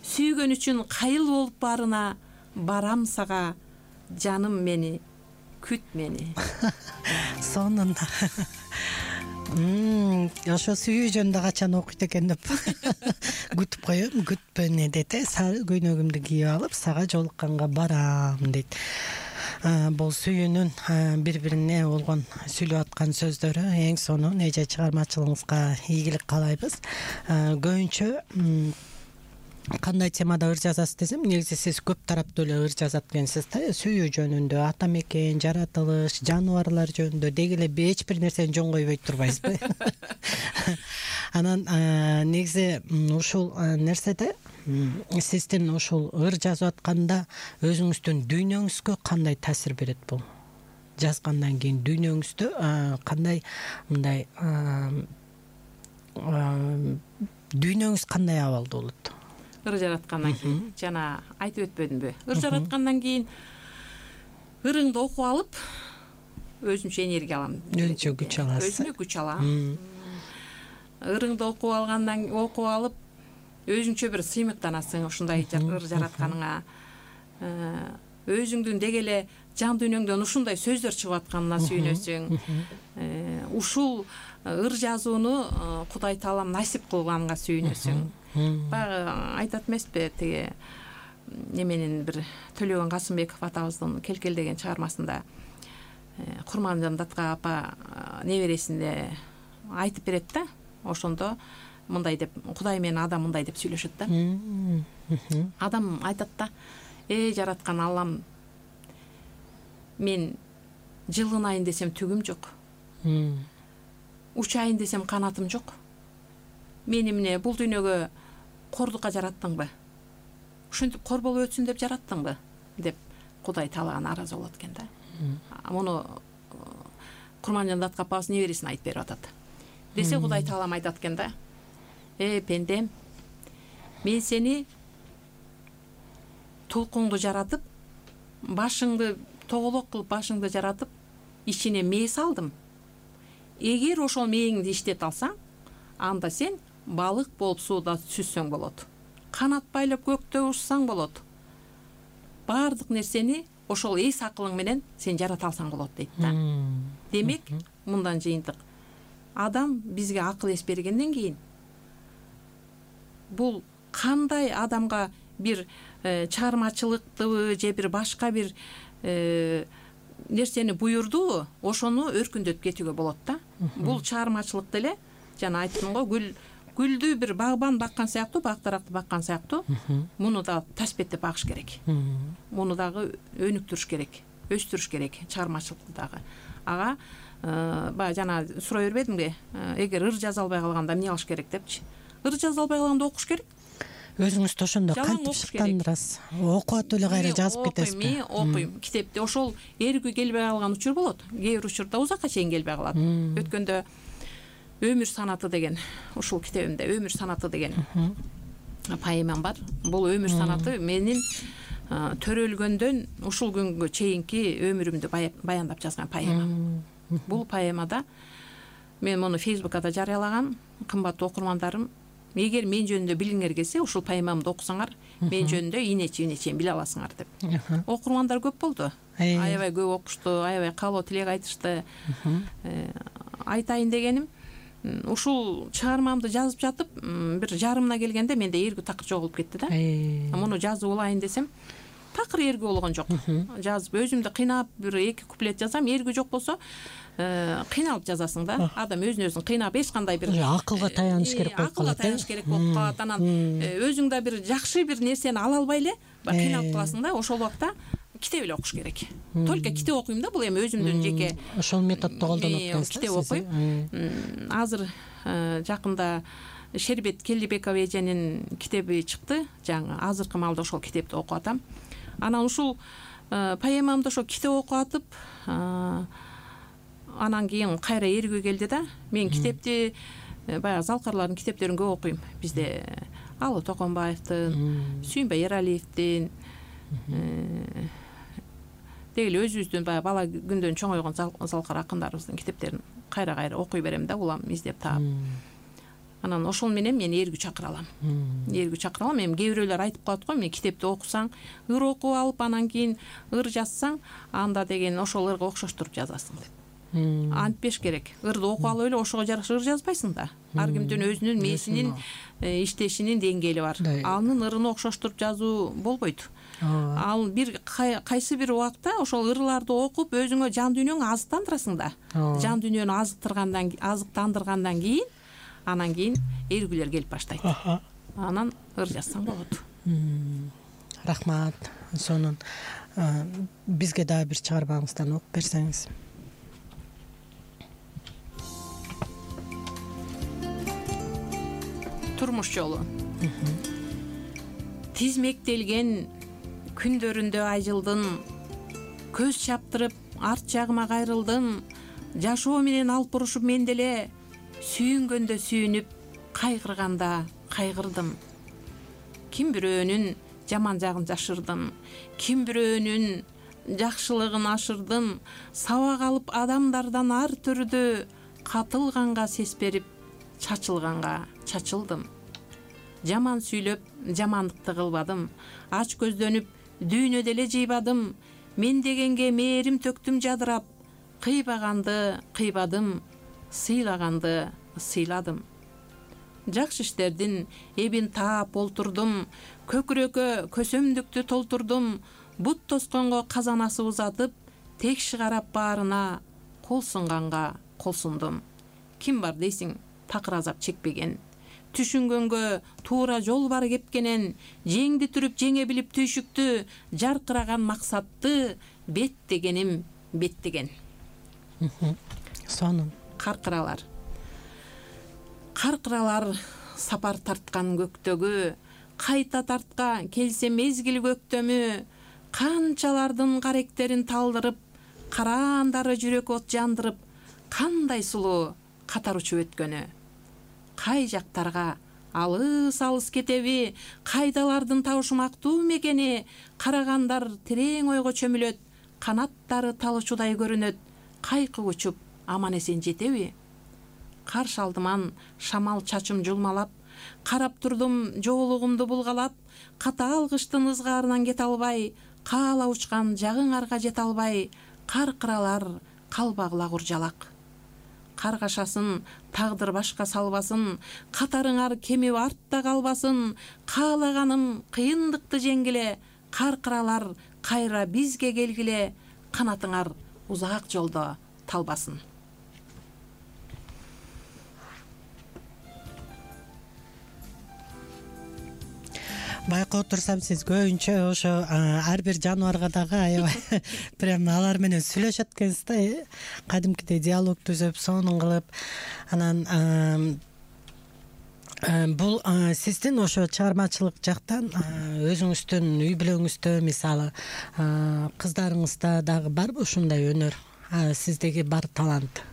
сүйгөн үчүн кайыл болуп барына, барам сага, жаным мени, күт мени. Сонунда. Ошо сүйүү жөнүндө качан окуйт экен деп күтүп коем, күтпөне дейт. Сары көйнөгүмдү кийип алып, сага жолукканга барам дейт. Бул сүйүүнүн бири бирине болгон сүйлөп аткан сөздөрү эң сонун. Эже чыгармачылыгыңызга ийгилик каалайбыз. Көбүнчө кандай темада ыр жазасыз десем, негизи сиз көп тараптуу эле ыр жазат экенсиз да. Сүйүү жөнүндө, ата мекен, жаратылыш, жаныбарлар жөнүндө деги эле эч бир нерсени жөн койбой турбайсызбы? Анан негизи ушул нерседе сиздин ушул ыр жазып атканда өзүңүздүн дүйнөңүзгө кандай таасир берет бул? Жазгандан кийин дүйнөңүздө кандай мындай дүйнөңүз кандай абалда болот? Ыр жараткандан кийин жана айтып өтпөдүмбү? Ыр жараткандан кийин ырыңды окуп алып, өзүмчө энергия алам. Өзүнчө күч аласыз. Өзүмө күч алам. Ырыңды окуп алып, өзүңчө бир сыймыктанасың ушундай ыр жаратканыңа. Өзүңдүн деги эле жан дүйнөңдөн ушундай сөздөр чыгып атканына сүйүнөсүң. Ушул ыр жазууну Кудай Таалам насип кылганга сүйүнөсүң. Баягы айтат эмеспи, тиги неменин бир Төлөгөн Касымбеков атабыздын Келкелдеген чыгармасында Курманжан Датка апа небересинде айтып берет да. Ошондо мындай деп, Кудай менен адам мындай деп сүйлөшөт да. Адам айтат да: жараткан Аллам, мен жылынайын десем түгүм жок. Учайын десем канатым жок. Мени эмне бул дүйнөгө кордукка жараттыңбы? Ушинтип кор болуп өтсүн деп жараттыңбы? Деп Кудай Таалага нааразы болот экен да. Муну Курманжан Датка апабыз небересине айтып берип атат. Десе Кудай Таалам айтат экен да: пендем, мен сени толкунду жаратып, башыңды тоголок кылып башыңды жаратып, ичине мээ салдым. Эгер ошол мээңди иштете алсаң, анда сен балык болуп сууда сүзсөң болот, канат байлап көктө учсаң болот, баардык нерсени ошол эс акылың менен сен жарата алсаң болот дейт да. Демек, мындан жыйынтык адам бизге акыл эс бергенден кийин бул кандай адамга бир чыгармачылыктыбы же бир башка бир нерсени буйрдубу, ошону өркүндөтүп кетүүгө болот да. Бул чыгармачылык деле жана айттым го, гүлдү бир багбан баккан сыяктуу, бак даракты баккан сыяктуу, муну да таспеттеп багыш керек. Муну дагы өнүктүрүш керек, өстүрүш керек, чыгармачылыкты дагы. Ага баягы жана сурай бербедимби, эгер ыр жаза албай калганда эмне кылыш керек депчи. Ыр жаза албай калганда окуш керек. Өзүңүз да ошондо кантип чыккан рас. Окуп атып эле кайра жазып кетесизби? Мен окуйм китепти. Ошол эргүү келбей калган учур болот. Кээ бир учурда узакка чейин келбей калат. Өткөндө Өмүр санаты деген, ушул китебимде Өмүр санаты деген поэмам бар. Бул өмүр санаты менин төрөлгөндөн ушул күнгө чейинки өмүрүмдү баяндап жазган поэма. Бул поэмада мен муну Фейсбукка жарыялагам. Кымбаттуу окурмандарым, эгер мен жөнүндө билгиңер келсе, ушул поэмамды окусаңар, мен жөнүндө ийнечи-ийнечен биле аласыңар деп. Окурмандар көп болду. Аябай көп окушту, аябай каалоо тилек айтышты. Айтайын дегеним, ушул чыгармамды жазып жатып, бир жарымына келгенде менде эргүү такыр жоголуп кетти да. Муну жазып алайын десем, такыр эргүү болгон жок. Жазып өзүмдү кыйнап бир 2 куплет жазам, эргүү жок болсо кыйналып жазасың да. Адам өзүн кыйнап эч кандай бир акылга таяныш керек болуп калат. Акылга таяныш керек болуп калат. Анан өзүң да бир жакшы бир нерсени ала албай эле кыйналып каласың да. Ошол убакта китеп эле окуш керек. Только китеп окуйм да, бул эми өзүмдүн жеке ошол методду колдонуп атасыз. Китеп окуйм. Азыр жакында Шербет Келдибекова эженин китеби чыкты. Жаңы азыркы маалда ошол китепти окуп атам. Анан ушул поэмамды ошо китеп окуп атып, анан кийин кайра эргүү келди да. Мен китепти баягы залкарлардын китептерин көп окуйм. Бизде Алы Токонбаевдин, Сүйүнбай Эралиевдин, деги өзүбүздүн баягы бала күндөн чоңойгон залкар акындарыбыздын китептерин кайра окуй берем да, улам издеп таап. Анан ошол менен мен эргүү чакыра алам. Эргүү чакыра алам. Эми кээ бирөөлөр айтып калат го, мен китепти окусаң, ыр окуп алып, анан кийин ыр жазсаң, анда деген ошол ырга окшоштуруп жазасың деп. Антпеш керек. Ырды окуп алып эле ошого жараша ыр жазбайсың да. Ар кимдин өзүнүн мээсинин иштешинин деңгээли бар. Анын ырын окшоштуруп жазуу болбойт. Ал бир кайсы бир убакта ошол ырларды окуп өзүңө жан дүйнөңү азыктандырасың да. Жан дүйнөнү азыктандыргандан кийин анан кийин эргүүлөр келип баштайт. Анан ыр жазсаң болот. Рахмат. Сонун бизге дагы бир чыгармаңыздан окуп берсеңиз. Турмуш жолу. Тизмектелген күндөрүндө айжылдын, көз чаптырып арт жагыма кайрылдым, жашоо менен алып бурушуп мен деле, сүйүнгөндө сүйүнүп, кайгырганда кайгырдым. Ким бирөөнүн жаман жагын жашырдым, ким бирөөнүн жакшылыгын ашырдым, сабак алып адамдардан ар түрдө, катылганга сес берип, чачылганга чачылдым. Жаман сүйлөп, жамандыкты кылбадым, ач көздөнүп, дүйнө деле жыйбадым, мен дегенге мээрим төктүм жадырап, кыйбаганды кыйбадым, сыйлаганды сыйладым. Жакшы иштердин эбин таап олтурдум, көкүрөккө көсөмдүктү толтурдум, бут тосконго казанасы узатып, текши карап баарына, кол сунганга кол сундум. Ким бар дейсиң, такыр азап чекпеген, түшүнгөнгө туура жол бар кепкенен, жеңди түрүп жеңе билип түйшүктү, жаркыраган максатты беттегеним беттеген. Сонун. Каркыралар сапар тарткан көктөгү, кайта тартка келсе мезгил көктөмү, канчалардын каректерин талдырып, караандары жүрөк от жандырып, кандай сулуу катар учуп өткөнү. Кай жактарга алыс кетеби, кайдалардын табышмактуу мекени, карагандар терең ойго чөмүлөт, канаттары талычудай көрүнөт, кайкы учуп аман эсен жетеби. каршы алдыман шамал чачым жулмалап, карап турдум жоолугумду булгалап, катаал кыштын ызгаарынан кете албай, каала учкан жагыңарга жете албай, каркыралар калбагыла куржалак. Каргашасын тагдыр башка салбасын, катарыңар кемип артта калбасын, каалаганым кыйындыкты жеңгиле, каркыралар кайра бизге келгиле, канатыңар узак жолдо талбасын. Байкап турсам, сиз көбүнчө ошо ар бир жаныбарга дагы аябай прям алар менен сүйлөшөт экенсиз да, кадимкидей диалог түзүп, сонун кылып. Анан бул сиздин ошо чыгармачылык жактан өзүңүздүн үй бүлөңүздө, мисалы кыздарыңызда дагы барбы ушундай өнөр, сиздеги бар талант?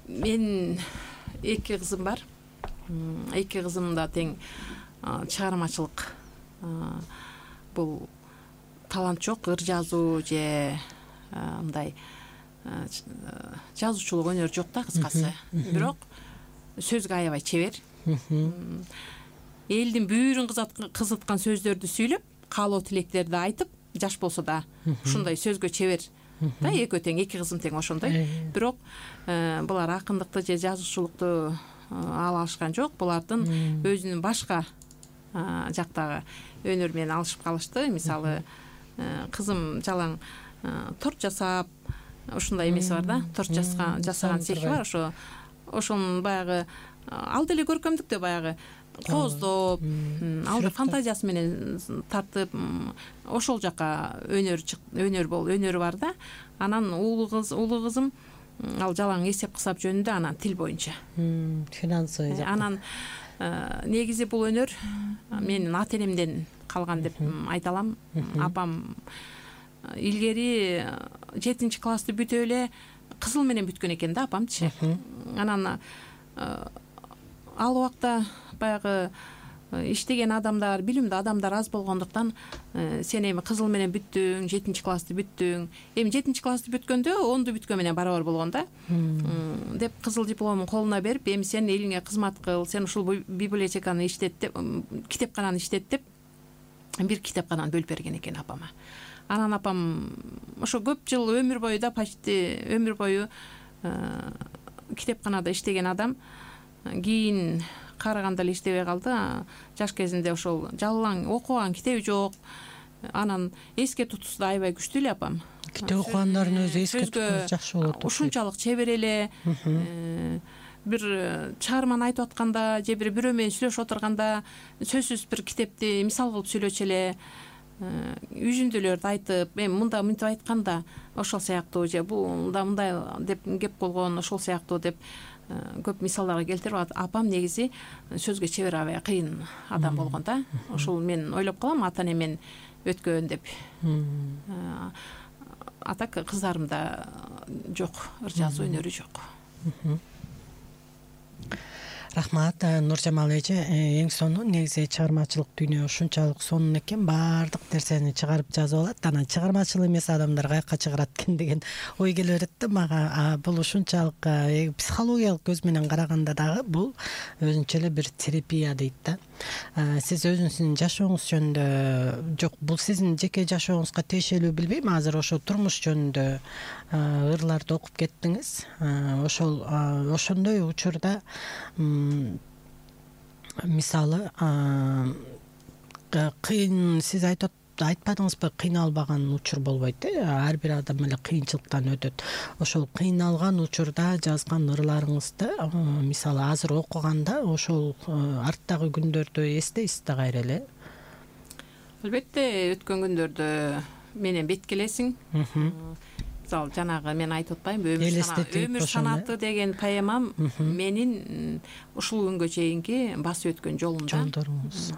Мен 2 кызым бар. 2 кызым да тең чыгармачылык, бул талант жок, ыр жазуу же мындай жазуучулук өнөр жок да, кыскасы. Бирок сөзгө аябай чебер. Элдин бүйүрүн кызыткан сөздөрдү сүйлөп, каалоо тилектерди айтып, жаш болсо да ушундай сөзгө чебер да. Экөө тең, 2 кызым тең ошондой. Бирок булар акындыкты же жазуучулукту ала алышкан жок. Булардын өзүнүн башка жактагы өнөр менен алышып калышты. Мисалы, кызым жалаң торт жасап, ушундай эмеси бар да, торт жасаган цехи бар. Ошонун баягы алды эле көркөмдүктө баягы кооздоп, алды фантазиясы менен тартып, ошол жака өнөрү бар да. Анан улуу кызым ал жалаң эсеп кысап жөнүндө, анан тил боюнча. Финансовый жакта. Анан негизи бул өнөр менин ата-энемден калган деп айта алам. Апам илгери 7-классты бүтүп эле кызыл менен бүткөн экен да, апамчы. Анан ал убакта баягы иштеген адамдар, билимдүү адамдар аз болгондуктан, сен эми кызыл менен бүттүң, 7-классты бүттүң, эми 7-классты бүткөндө 10ду бүткөн менен барабар болгон да, деп кызыл дипломун колуна берип, эми сен элиңе кызмат кыл, сен ушул библиотеканы иштет деп, китепкананы иштет деп, бир китепкананы бөлүп берген экен апама. Анан апам ошо көп жыл өмүр бою да, почти өмүр бою китепканада иштеген адам, кийин карыганда эле иштебей калды. Жаш кезинде ошол жалаң окуган китеби жок. Анан эске тутуусу да аябай күчтүү эле апам. Китеп окугандардын өзү эске тутуусу жакшы болот. Ушунчалык чебер эле. Бир чыгарманы айтып атканда же бирөө менен сүйлөшүп отурганда сөзсүз бир китепти мисал кылып сүйлөчү эле. Үзүндүлөрдү айтып, эми мында мынтип айтканда ошол сыяктуу, же бул да мындай деп кеп болгон, ошол сыяктуу деп көп мисалдарга келтирип, апам негизи сөзгө чебер, аябай кыйын адам болгон да. Ошол мен ойлоп калам, ата-энемен өткөн деп. Атак кыздарымда жок, ыр жазуу өнөрү жок. Рахмат, Нуржамал эже. Эң сонун негизи чыгармачылык дүйнө ушунчалык сонун экен, баардык нерсени чыгарып жазып алат. Анан чыгармачыл эмес адамдар каяка чыгарат экен деген ой келе берет да мага. Бул ушунчалык психологиялык көз менен караганда дагы бул өзүнчө эле бир терапия дейт да. Сиз өзүңүздүн жашооңуз жөнүндө, жок, бул сиздин жеке жашооңузга тиешелүү билбейм, азыр ошо турмуш жөнүндө ырларды окуп кеттиңиз. Ошондой учурда мисалы кыйын, сиз айтпадыңызбы, кыйналбаган учур болбойт э? Ар бир адам эле кыйынчылыктан өтөт. Ошол кыйналган учурда жазган ырларыңызды мисалы азыр окуганда ошол арттагы күндөрдү эстейсиз да кайра эле? Албетте, өткөн күндөрдү менен беткелесиң. Мисалы жанагы мен айтып атпаймынбы, өмүр санаты деген поэмам менин ушул күнгө чейинки басып өткөн жолумда.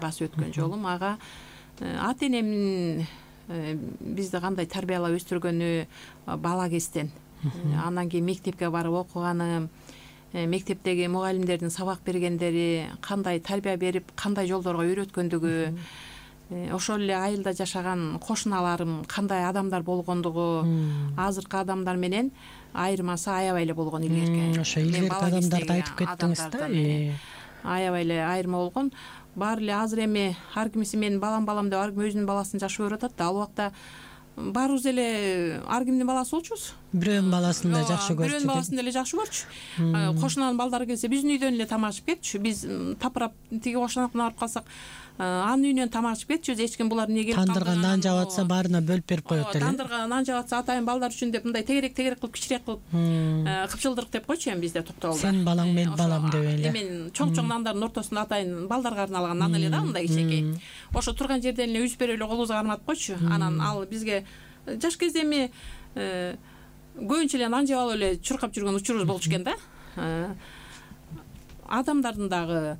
Басып өткөн жолум. Ага ата-энемдин бизди кандай тарбиялап өстүргөнү бала кезден, андан кийин мектепке барып окуганым, мектептеги мугалимдердин сабак бергендери, кандай тарбия берип, кандай жолдорго үйрөткөндүгү, ошол эле айылда жашаган кошуналарым кандай адамдар болгондугу азыркы адамдар менен айырмасы аябай эле болгон илгерки. Ошо илгерки адамдарды айтып кеттиңиз да. Аябай эле айырма болгон. Баары эле азыр эми ар кимиси менин балам деп ар ким өзүнүн баласын жакшы көрүп атат да. Ал убакта баарыбыз эле ар кимдин баласы болчубуз. Бирөөнүн баласын да жакшы көрчү. Бирөөнүн баласын деле жакшы көрчү. Кошунанын балдары келсе биздин үйдөн эле тамак ичип кетчү. Биз тапырап тиги кошунакына барып калсак анын үйүнөн тамак ичип кетчүбүз. Эч ким булар эмне келип калды. Тандырга нан жаап атса баарына бөлүп берип коет эле. Тандырга нан жаап атса атайын балдар үчүн деп мындай тегерек кылып кичирээк кылып кыпчылдырык деп койчу эми бизде токтогулда. Сенин балаң менин балам деп эле. Эми чоң нандардын ортосунда атайын балдарга арналган нан эле да, мындай кичинекей. Ошо турган жерден эле үзүп берип эле колубузга карматып койчу. Анан ал бизге жаш кезде эми көбүнчө эле нан жеп алып эле чуркап жүргөн учурубуз болчу экен да. Адамдардын дагы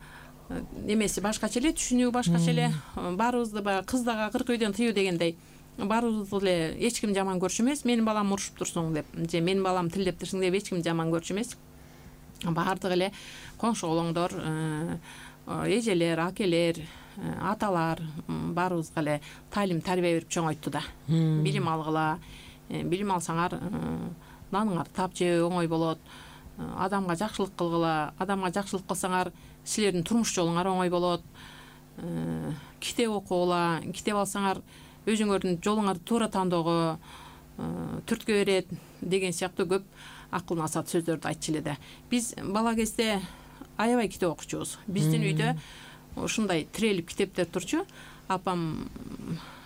эмеси башкача эле, түшүнүү башкача эле. Баарыбызды баягы кыз дагы 40 үйдөн тыюу дегендей. Баарыбызды эле эч ким жаман көрчү эмес. Менин балам урушуп турсуң деп же менин балам тилдеп турсуң деп эч ким жаман көрчү эмес. Баардыгы эле коңшу колоңдор, эжелер, акелер, аталар баарыбызга эле таалим тарбия берип чоңойтtu да. Билим алгыла, билим алсаңар наныңарды таап жөө оңой болот. Адамга жакшылык кылгыла, адамга жакшылык кылсаңар силердин турмуш жолуңар оңой болот. Китеп окугула, китеп алсаңар өзүңөрдүн жолуңарды туура тандоого түрткү берет деген сыяктуу көп акыл насаат сөздөрдү айтчу эле да. Биз бала кезде аябай китеп окучубуз. Биздин үйдө ушундай тирелип китептер турчу. Апам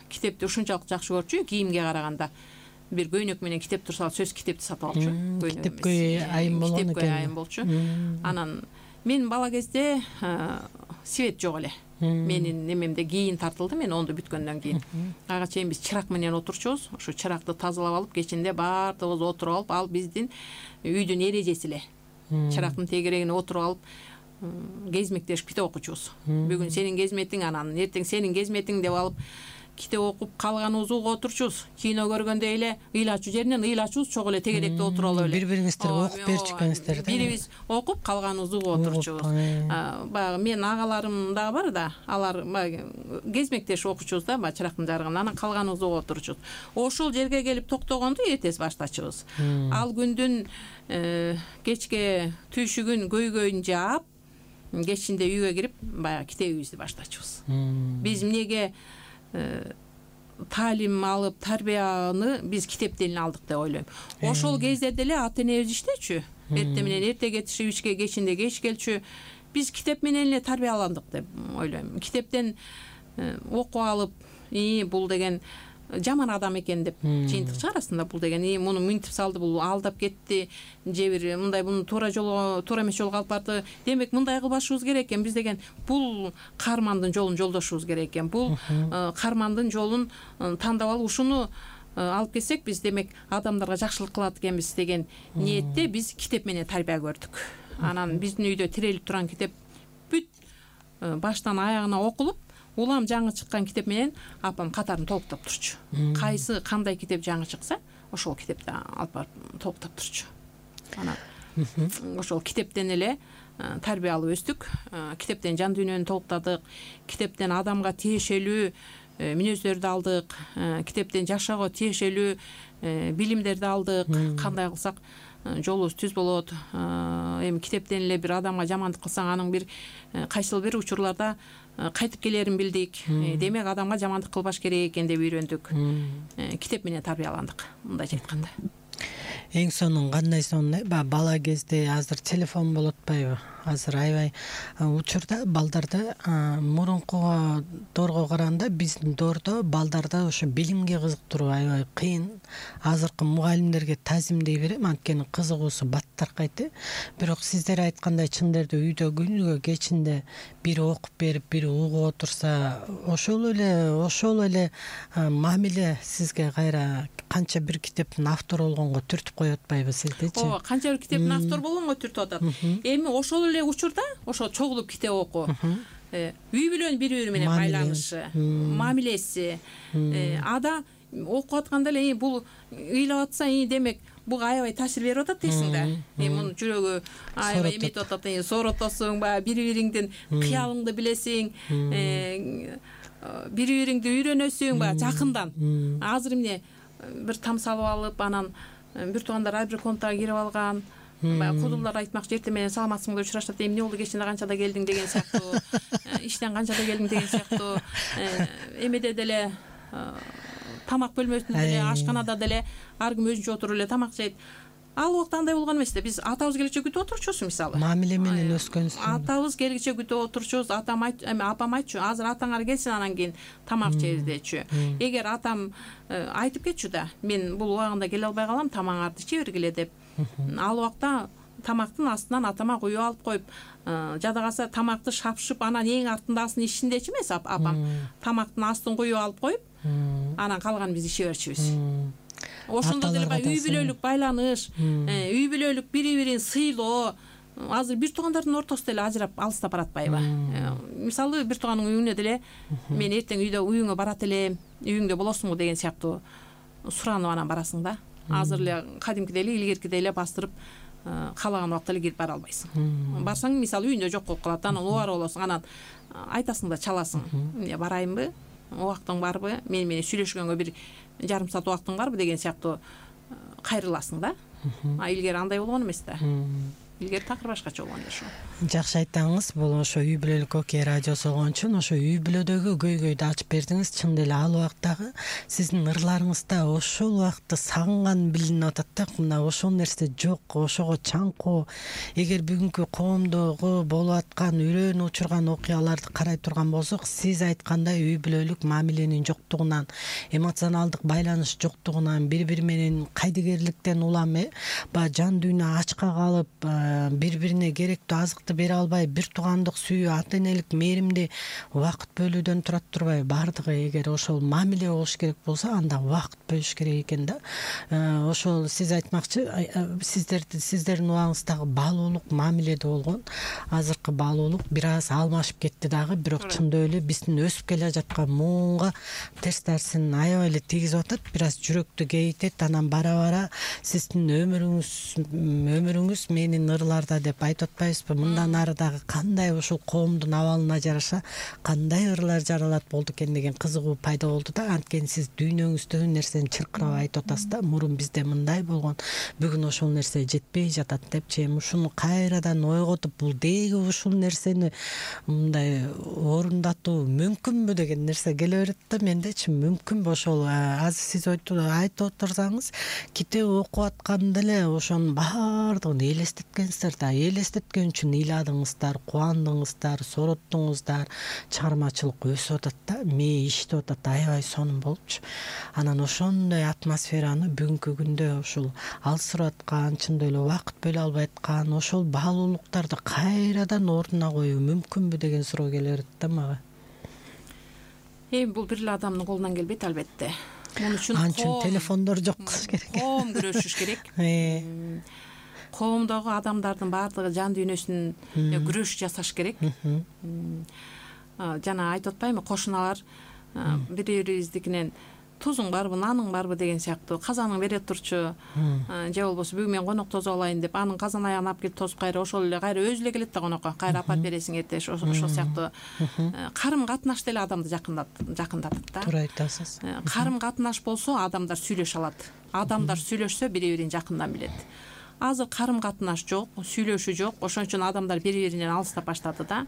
китепти ушунчалык жакшы көрчү, кийимге караганда. Бир көйнөк менен китеп турса сөз китепти сатып алчу. Китепкөй айым болгон экен. Китепкөй айым болчу. Анан мен бала кезде свет жок эле. Менин немемде кийин тартылды, мен 10ду бүткөндөн кийин. Ага чейин биз чырак менен отурчубуз. Ошо чыракты тазалап алып, кечинде баардыгыбыз отуруп алып, ал биздин үйдүн эрежеси эле. Чырактын тегерегине отуруп алып, кезмектешип китеп окучубуз. Бүгүн сенин кезметиң, анан эртең сенин кезметиң деп алып китеп окуп калганыбыз уга отурчубуз. Кино көргөндөй эле ыйлачуу жеринен ыйлачубуз, чогуу эле тегеректе отуруп алып эле. Бири-бириңизге окуп берчү экенсиздер да. Бирибиз окуп калганыбыз уга отурчубуз. Баягы менин агаларым дагы бар да, алар кезмектешип окучубуз да, баягы чырактын жарыгын. Анан калганыбыз уга отурчубуз. Ошол жерге келип токтогонду эртеси баштачубыз. Ал күндүн кечке түйшүгүн көйгөйүн жаап, кечинде үйгө кирип, баягы китебибизди баштачубуз. Биз эмнеге таалим алып, тарбияны биз китептен эле алдык деп ойлойм. Ошол кезде деле ата энебиз иштечү. Эрте менен эрте кетишип, ишке кечинде кеч келчү. Биз китеп менен эле тарбияландык деп ойлойм. Китептен окуп алып, бул деген жаман адам экен деп жыйынтык чыгарасың да, бул деген муну минтип салды, бул алдап кетти, же бир мындай муну туура эмес жолго алып барды. Демек мындай кылбашыбыз керек экен. Биз деген бул каармандын жолун жолдошубуз керек экен. Бул каармандын жолун тандап алып ушуну алып келсек, биз демек адамдарга жакшылык кылат экенбиз деген ниетте биз китеп менен тарбия көрдүк. Анан биздин үйдө тирелип турган китеп бүт баштан аягына окулуп, улам жаңы чыккан китеп менен апам катарын толуктап турчу. Кайсы кандай китеп жаңы чыкса, ошол китепти алып барып толуктап турчу. Анан ошол китептен эле тарбия алып өстүк. Китептен жан дүйнөнү толуктадык. Китептен адамга тиешелүү мүнөздөрдү алдык. Китептен жашоого тиешелүү билимдерди алдык. Кандай кылсак жолубуз түз болот. Эми китептен эле бир адамга жамандык кылсаң, анын бир кайсыл бир учурларда кайтып келерин билдик. Демек адамга жамандык кылбаш керек экен деп үйрөндүк. Китеп менен тарбияландык, мындайча айтканда. Эң сонун кандай сонун бала кезде азыр телефон болуп атпайбы? Азыр аябай учурда балдарды мурункуга доорго караганда биздин доордо балдарды ошо билимге кызыктыруу аябай кыйын. Азыркы мугалимдерге тазимдей берем, анткени кызыгуусу баттаркайты. Бирок сиздер айткандай чын эле үйдө күнүгө кечинде бири окуп берип, бири угуп отурса, ошол эле мамиле сизге кайра канча бир китептин автору болгонго түртүп коюп атпайбы сиздечи? Ооба, канча бир китептин автору болгонго түртүп атат. Эми ошол эле учурда ошо чогулуп китеп окуу, үй бүлөнүн бири-бири менен байланышы, мамилеси, ада окуп атканда эле бул ыйлап атса, демек буга аябай таасир берип атат дейсиң да. Мунун жүрөгү аябай эметип атат, сооротосуң, баягы бири-бириңдин кыялыңды билесиң, бири бириңди үйрөнөсүң баягы жакындан. Азыр эмне бир там салып алып, анан бир туугандар ар бир контага кирип алган. Баягы кудулдар айтмакчы, эртең менен саламатсыңбы деп урашат, эмне болду, кечинде канчада келдиң деген сыяктуу, иштен канчада келдиң деген сыяктуу, эмеде деле тамак бөлмөсүндө деле, ашканада деле ар ким өзүнчө отуруп эле тамак жейт. Ал убакта андай болгон эмес да. Биз атабыз келгиче күтүп отурчубуз мисалы. Мамиле менен өскөнсүң. Атабыз келгиче күтүп отурчубуз. Атам апам айтчу, азыр атаңар келсин, анан кийин тамак жейбиз дечү. Эгер атам айтып кетчү да, мен бул убагында келе албай калам, тамагыңарды иче бергиле деп. Ал убакта тамактын астынан атама куюп алып коюп, жада калса тамакты шапшып, анан эң артындагысын ичиндечи эмес апам. Тамактын астын куюп алып коюп, анан калганын биз иче берчүбүз. Ошондо деле үй бүлөлүк байланыш, үй бүлөлүк бири-бирин сыйлоо. Азыр бир туугандардын ортосу деле ажырап алыстап баратпайбы? Мисалы, бир тууганның үйүнө деле мен эртең үйдө уюңа барат элем, үйүңдө болосуңбу деген сыяктуу суранып анан барасың да. Азыр эле кадимкидей эле, илгеркидей эле бастырып каалаган убакта эле кирип бара албайсың. Барсаң, мисалы, үйүндө жок болуп калат, анан убара болосуң, анан айтасың да чаласың. Эмне барайынбы? Убактың барбы? Мен менен сүйлөшкөнгө бир жарым саат убактың барбы деген сыяктуу кайрыласың да. Илгери андай болгон эмес да. Илгери такыр башкача болгон ошо. Жакшы айттыңыз. Бул ошо үй бүлөлүк Окей радиосу болгон үчүн ошо үй бүлөдөгү көйгөйдү ачып бердиңиз. Чын деле ал убактагы сиздин ырларыңызда ошол убакты сагынган билинип атат да. Мына ошол нерсе жок, ошого чаңкоо. Эгер бүгүнкү коомдогу болуп аткан үрөөнү учурган окуяларды карай турган болсок, сиз айткандай үй бүлөлүк мамиленин жоктугунан, эмоционалдык байланыш жоктугунан, бири-бири менен кайдыгерликтен улам баягы жан дүйнө ачка калып, бири-бирине керектүү азыкты бере албай, бир туугандык сүйүү, ата энелик мээримди убакыт бөлүүдөн турат турбай, баардыгы эгер ошол мамиле болуш керек болсо, анда убакыт бөлүш керек экен да. Ошол сиз айтмакчы, сиздердин убагыңыздагы баалуулук мамиледе болгон. Азыркы баалуулук бир аз алмашып кетти дагы, бирок чындап эле биздин өсүп келе жаткан муунга терс тарсын аябай эле тийгизип атат, бир аз жүрөктү кейитет. Анан бара-бара сиздин өмүрүңүз менин ырларда деп айтып атпайбызбы? Мындан ары дагы кандай ушул коомдун абалына жараша кандай ырлар жаралат болду экен деген кызыгуу пайда болду да. Анткени сиз дүйнөңүздөгү нерсени чыркырап айтып атасыз да. Мурун бизде мындай болгон, бүгүн ошол нерсе жетпей жатат депчи. Эми ушуну кайрадан ойготуп, бул деги ушул нерсени мындай орундатуу мүмкүнбү деген нерсе келе берет да мендечи. Мүмкүнбү ошол? Азыр сиз айтып отурсаңыз, китеп окуп атканда эле ошонун баардыгын элестеткенсиздер да. Элестеткен үчүн ыйладыңыздар, кубандыңыздар, сороттуңуздар, чыгармачылык өсүп атат да, мээ иштеп атат аябай сонун болупчу. Анан ошондой атмосфераны бүгүнкү күндө ушул алсырап аткан, чындап эле убакыт бөлө албай аткан ошол баалуулуктарды кайрадан ордуна коюу мүмкүнбү деген суроо келе берет да мага. Бул бир эле адамдын колунан келбейт албетте. Муну үчүн анчын телефондор жок кылыш керек. Коом күрөшүш керек. Коомдогу адамдардын баардыгы жан дүйнөсүн күрөш жасаш керек. Жана айтып атпаймынбы, кошуналар бири-бирибиздикинен тузуң барбы, наның барбы деген сыяктуу казаның бере турчу, же болбосо бүгүн мен конок тосуп алайын деп анын казан аягын алып келип тосуп, кайра ошол эле кайра өзү эле келет да конокко, кайра апарып бересиң эртең. Ошол сыяктуу карым катнаш деле адамды жакындатат да. Туура айтасыз. Карым катнаш болсо адамдар сүйлөшө алат. Адамдар сүйлөшсө бири-бирин жакындан билет. Азыр карым катнаш жок, сүйлөшүү жок. Ошон үчүн адамдар бири-биринен алыстап баштады да.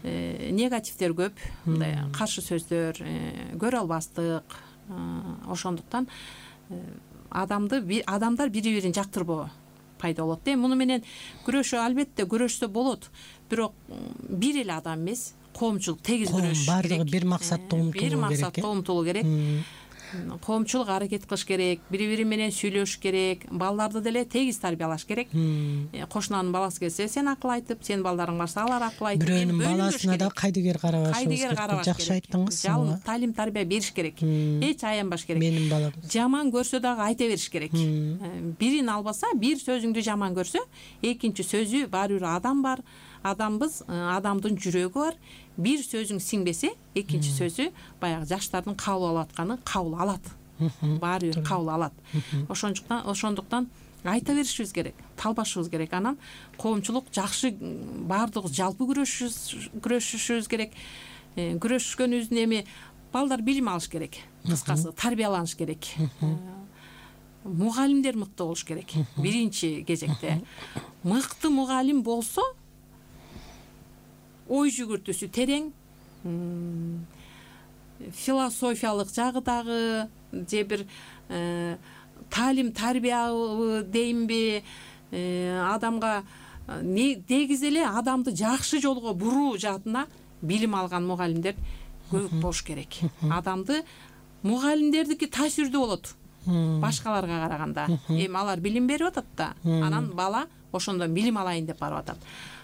Негативдер көп, мындай каршы сөздөр, көрө албастык. Ошондуктан адамдар бири-бирин жактырбоо пайда болот. Муну менен күрөшүү албетте күрөшсө болот, бирок бир эле адам эмес, коомчулук тегиз күрөшүш керек. Баардыгы бир максатта умтулуу керек. Коомчулук аракет кылыш керек, бири-бири менен сүйлөшүш керек, балдарды деле тегиз тарбиялаш керек. Кошунанын баласы келсе, сен акыл айтып, сенин балдарың барса алар акыл айтып, бирөөнүн баласына да кайдыгер карабашыбыз керек. Жакшы айттыңыз. Жалын талим тарбия бериш керек. Эч аянбаш керек. Менин балам. Жаман көрсө дагы айта бериш керек. Бирин албаса, бир сөзүңдү жаман көрсө, экинчи сөзү баары бир адам бар. Адамбыз, адамдын жүрөгү бар. Бир сөзүң сиңбесе, экинчи сөзү баягы жаштардын кабыл алып атканы кабыл алат. Баары бир кабыл алат. Ошондуктан айта беришибиз керек, талбашыбыз керек. Анан коомчулук жакшы баардыгы жалпы күрөшүшүбүз керек. күрөшкөнүбүздүн эми балдар билим алыш керек, кыскасы тарбияланыш керек. Мугалимдер мыкты болуш керек. Биринчи кезекте мыкты мугалим болсо ой жүгүртүүсү терең, философиялык жагы дагы же бир таалим тарбиябы дейинби, адамга негизи эле адамды жакшы жолго буруу жаатына билим алган мугалимдер көп болуш керек. Адамды мугалимдердики таасирдүү болот башкаларга караганда. Эми алар билим берип атат да, анан бала ошондон билим алайын деп барып атат.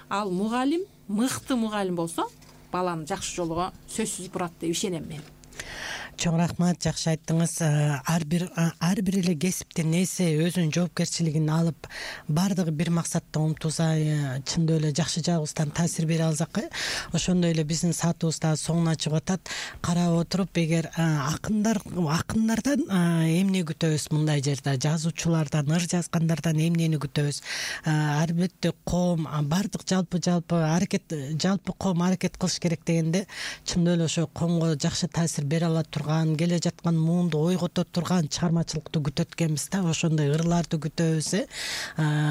Ал мугалим мыкты мугалим болсо баланы жакшы жолго сөзсүз бурат деп ишенем мен. Чоң рахмат, жакшы айттыңыз. Ар бир эле кесиптин ээси өзүнүн жоопкерчилигин алып, баардыгы бир максатта умтулса, чындап эле жакшы жагыбыздан таасир бере алсак, ошондой эле биздин саатыбыз да соңуна чыгып атат. Карап отуруп, эгер акындардан эмне күтөбүз мындай жерде, жазуучулардан, ыр жазгандардан эмнени күтөбүз? Албетте коом баардык жалпы коом аракет кылыш керек дегенде, чындап эле ошо коомго жакшы таасир бере ала турган, келе жаткан муунду ойгото турган чыгармачылыкты күтөт экенбиз да. Ошондой ырларды күтөбүз,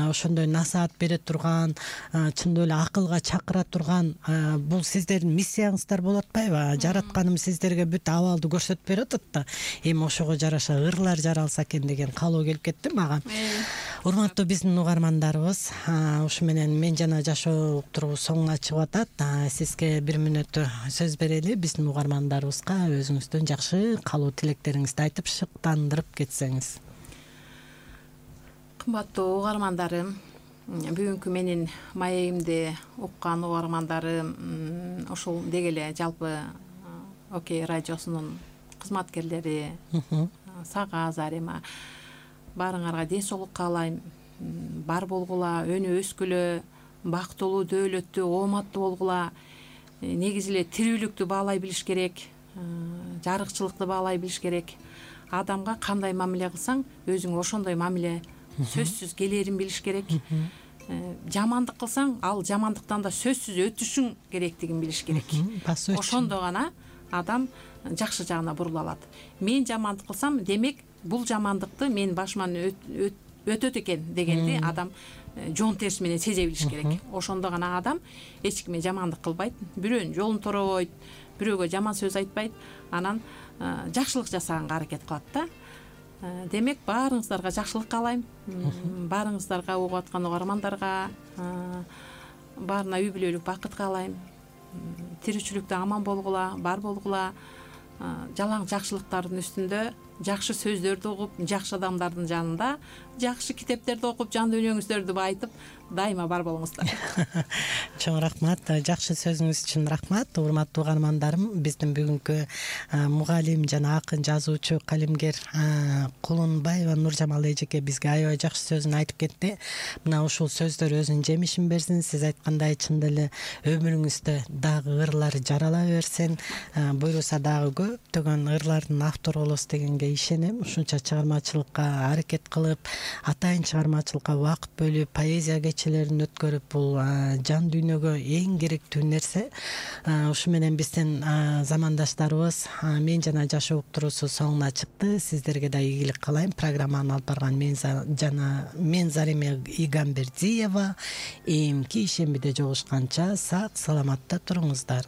ошондой насаат бере турган, чындап эле акылга чакыра турган. Бул сиздердин миссияңыздар болуп атпайбы? Жаратканым сиздерге бүт абалды көрсөтүп берип атат да. Эми ошого жараша ырлар жаралса экен деген каалоо келип кетти мага. Урматтуу биздин угармандарыбыз, ушу менен мен жана жашоо уктуруубуз соңуна чыгып атат. Сизге бир мүнөт сөз берели, биздин угармандарыбызга өзүңүздүн жакшы каалоо тилектериңизди айтып шыктандырып кетсеңиз. Кымбаттуу угармандарым, бүгүнкү менин маегимди уккан угармандарым, ушул деги эле жалпы Окей радиосунун кызматкерлери, сага Зарема, баарыңарга ден соолук каалайм. Бар болгула, өнү өскүлө, бактылуу, дөөлөттүү, ооматтуу болгула. Негизи эле тирүүлүктү баалай билиш керек, жарыкчылыкты баалай билиш керек. Адамга кандай мамиле кылсаң, өзүңө ошондой мамиле сөзсүз келерин билиш керек. Жамандык кылсаң, ал жамандыктан да сөзсүз өтүшүң керектигин билиш керек. Ошондо гана адам жакшы жагына бурула алат. Мен жамандык кылсам, демек бул жамандыкты мен башыман өтөт экен дегенди адам жон терси менен сезе билиш керек. Ошондо гана адам эч кимге жамандык кылбайт, бирөөнүн жолун торобойт, бирөөгө жаман сөз айтпайт, анан жакшылык жасаганга аракет кылат да. Демек баарыңыздарга жакшылык каалайм. Баарыңыздарга, угуп аткан угармандарга баарына үй бүлөлүк бакыт каалайм. Тиричиликте аман болгула, бар болгула. Жалаң жакшылыктардын үстүндө жакшы сөздөрдү угуп, жакшы адамдардын жанында жакшы китептерди окуп, жан дүйнөңүздөрдү байытып, дайыма бар болуңуздар. Чоң рахмат, жакшы сөзүңүз үчүн рахмат. Урматтуу угармандарым, биздин бүгүнкү мугалим жана акын, жазуучу, калемгер Кулунбаева Нуржамал эжеке бизге аябай жакшы сөзүн айтып кетти. Мына ушул сөздөр өзүнүн жемишин берсин. Сиз айткандай чындап эле өмүрүңүздө дагы ырлар жарала берсин. Буйруса дагы көптөгөн ырлардын автору болосуз дегенге ишенем. Ушунча чыгармачылыкка аракет кылып, атайын чыгармачылыкка убакыт бөлүп, поэзия кечелерин өткөрүп, бул жан дүйнөгө эң керектүү нерсе. Ушу менен биздин замандаштарыбыз мен жана жашоо уктуруусу соңуна чыкты. Сиздерге да ийгилик каалайм. Программаны алып барган мен Зарема Игамбердиева. Эмки ишембиде жолугушканча сак саламатта туруңуздар.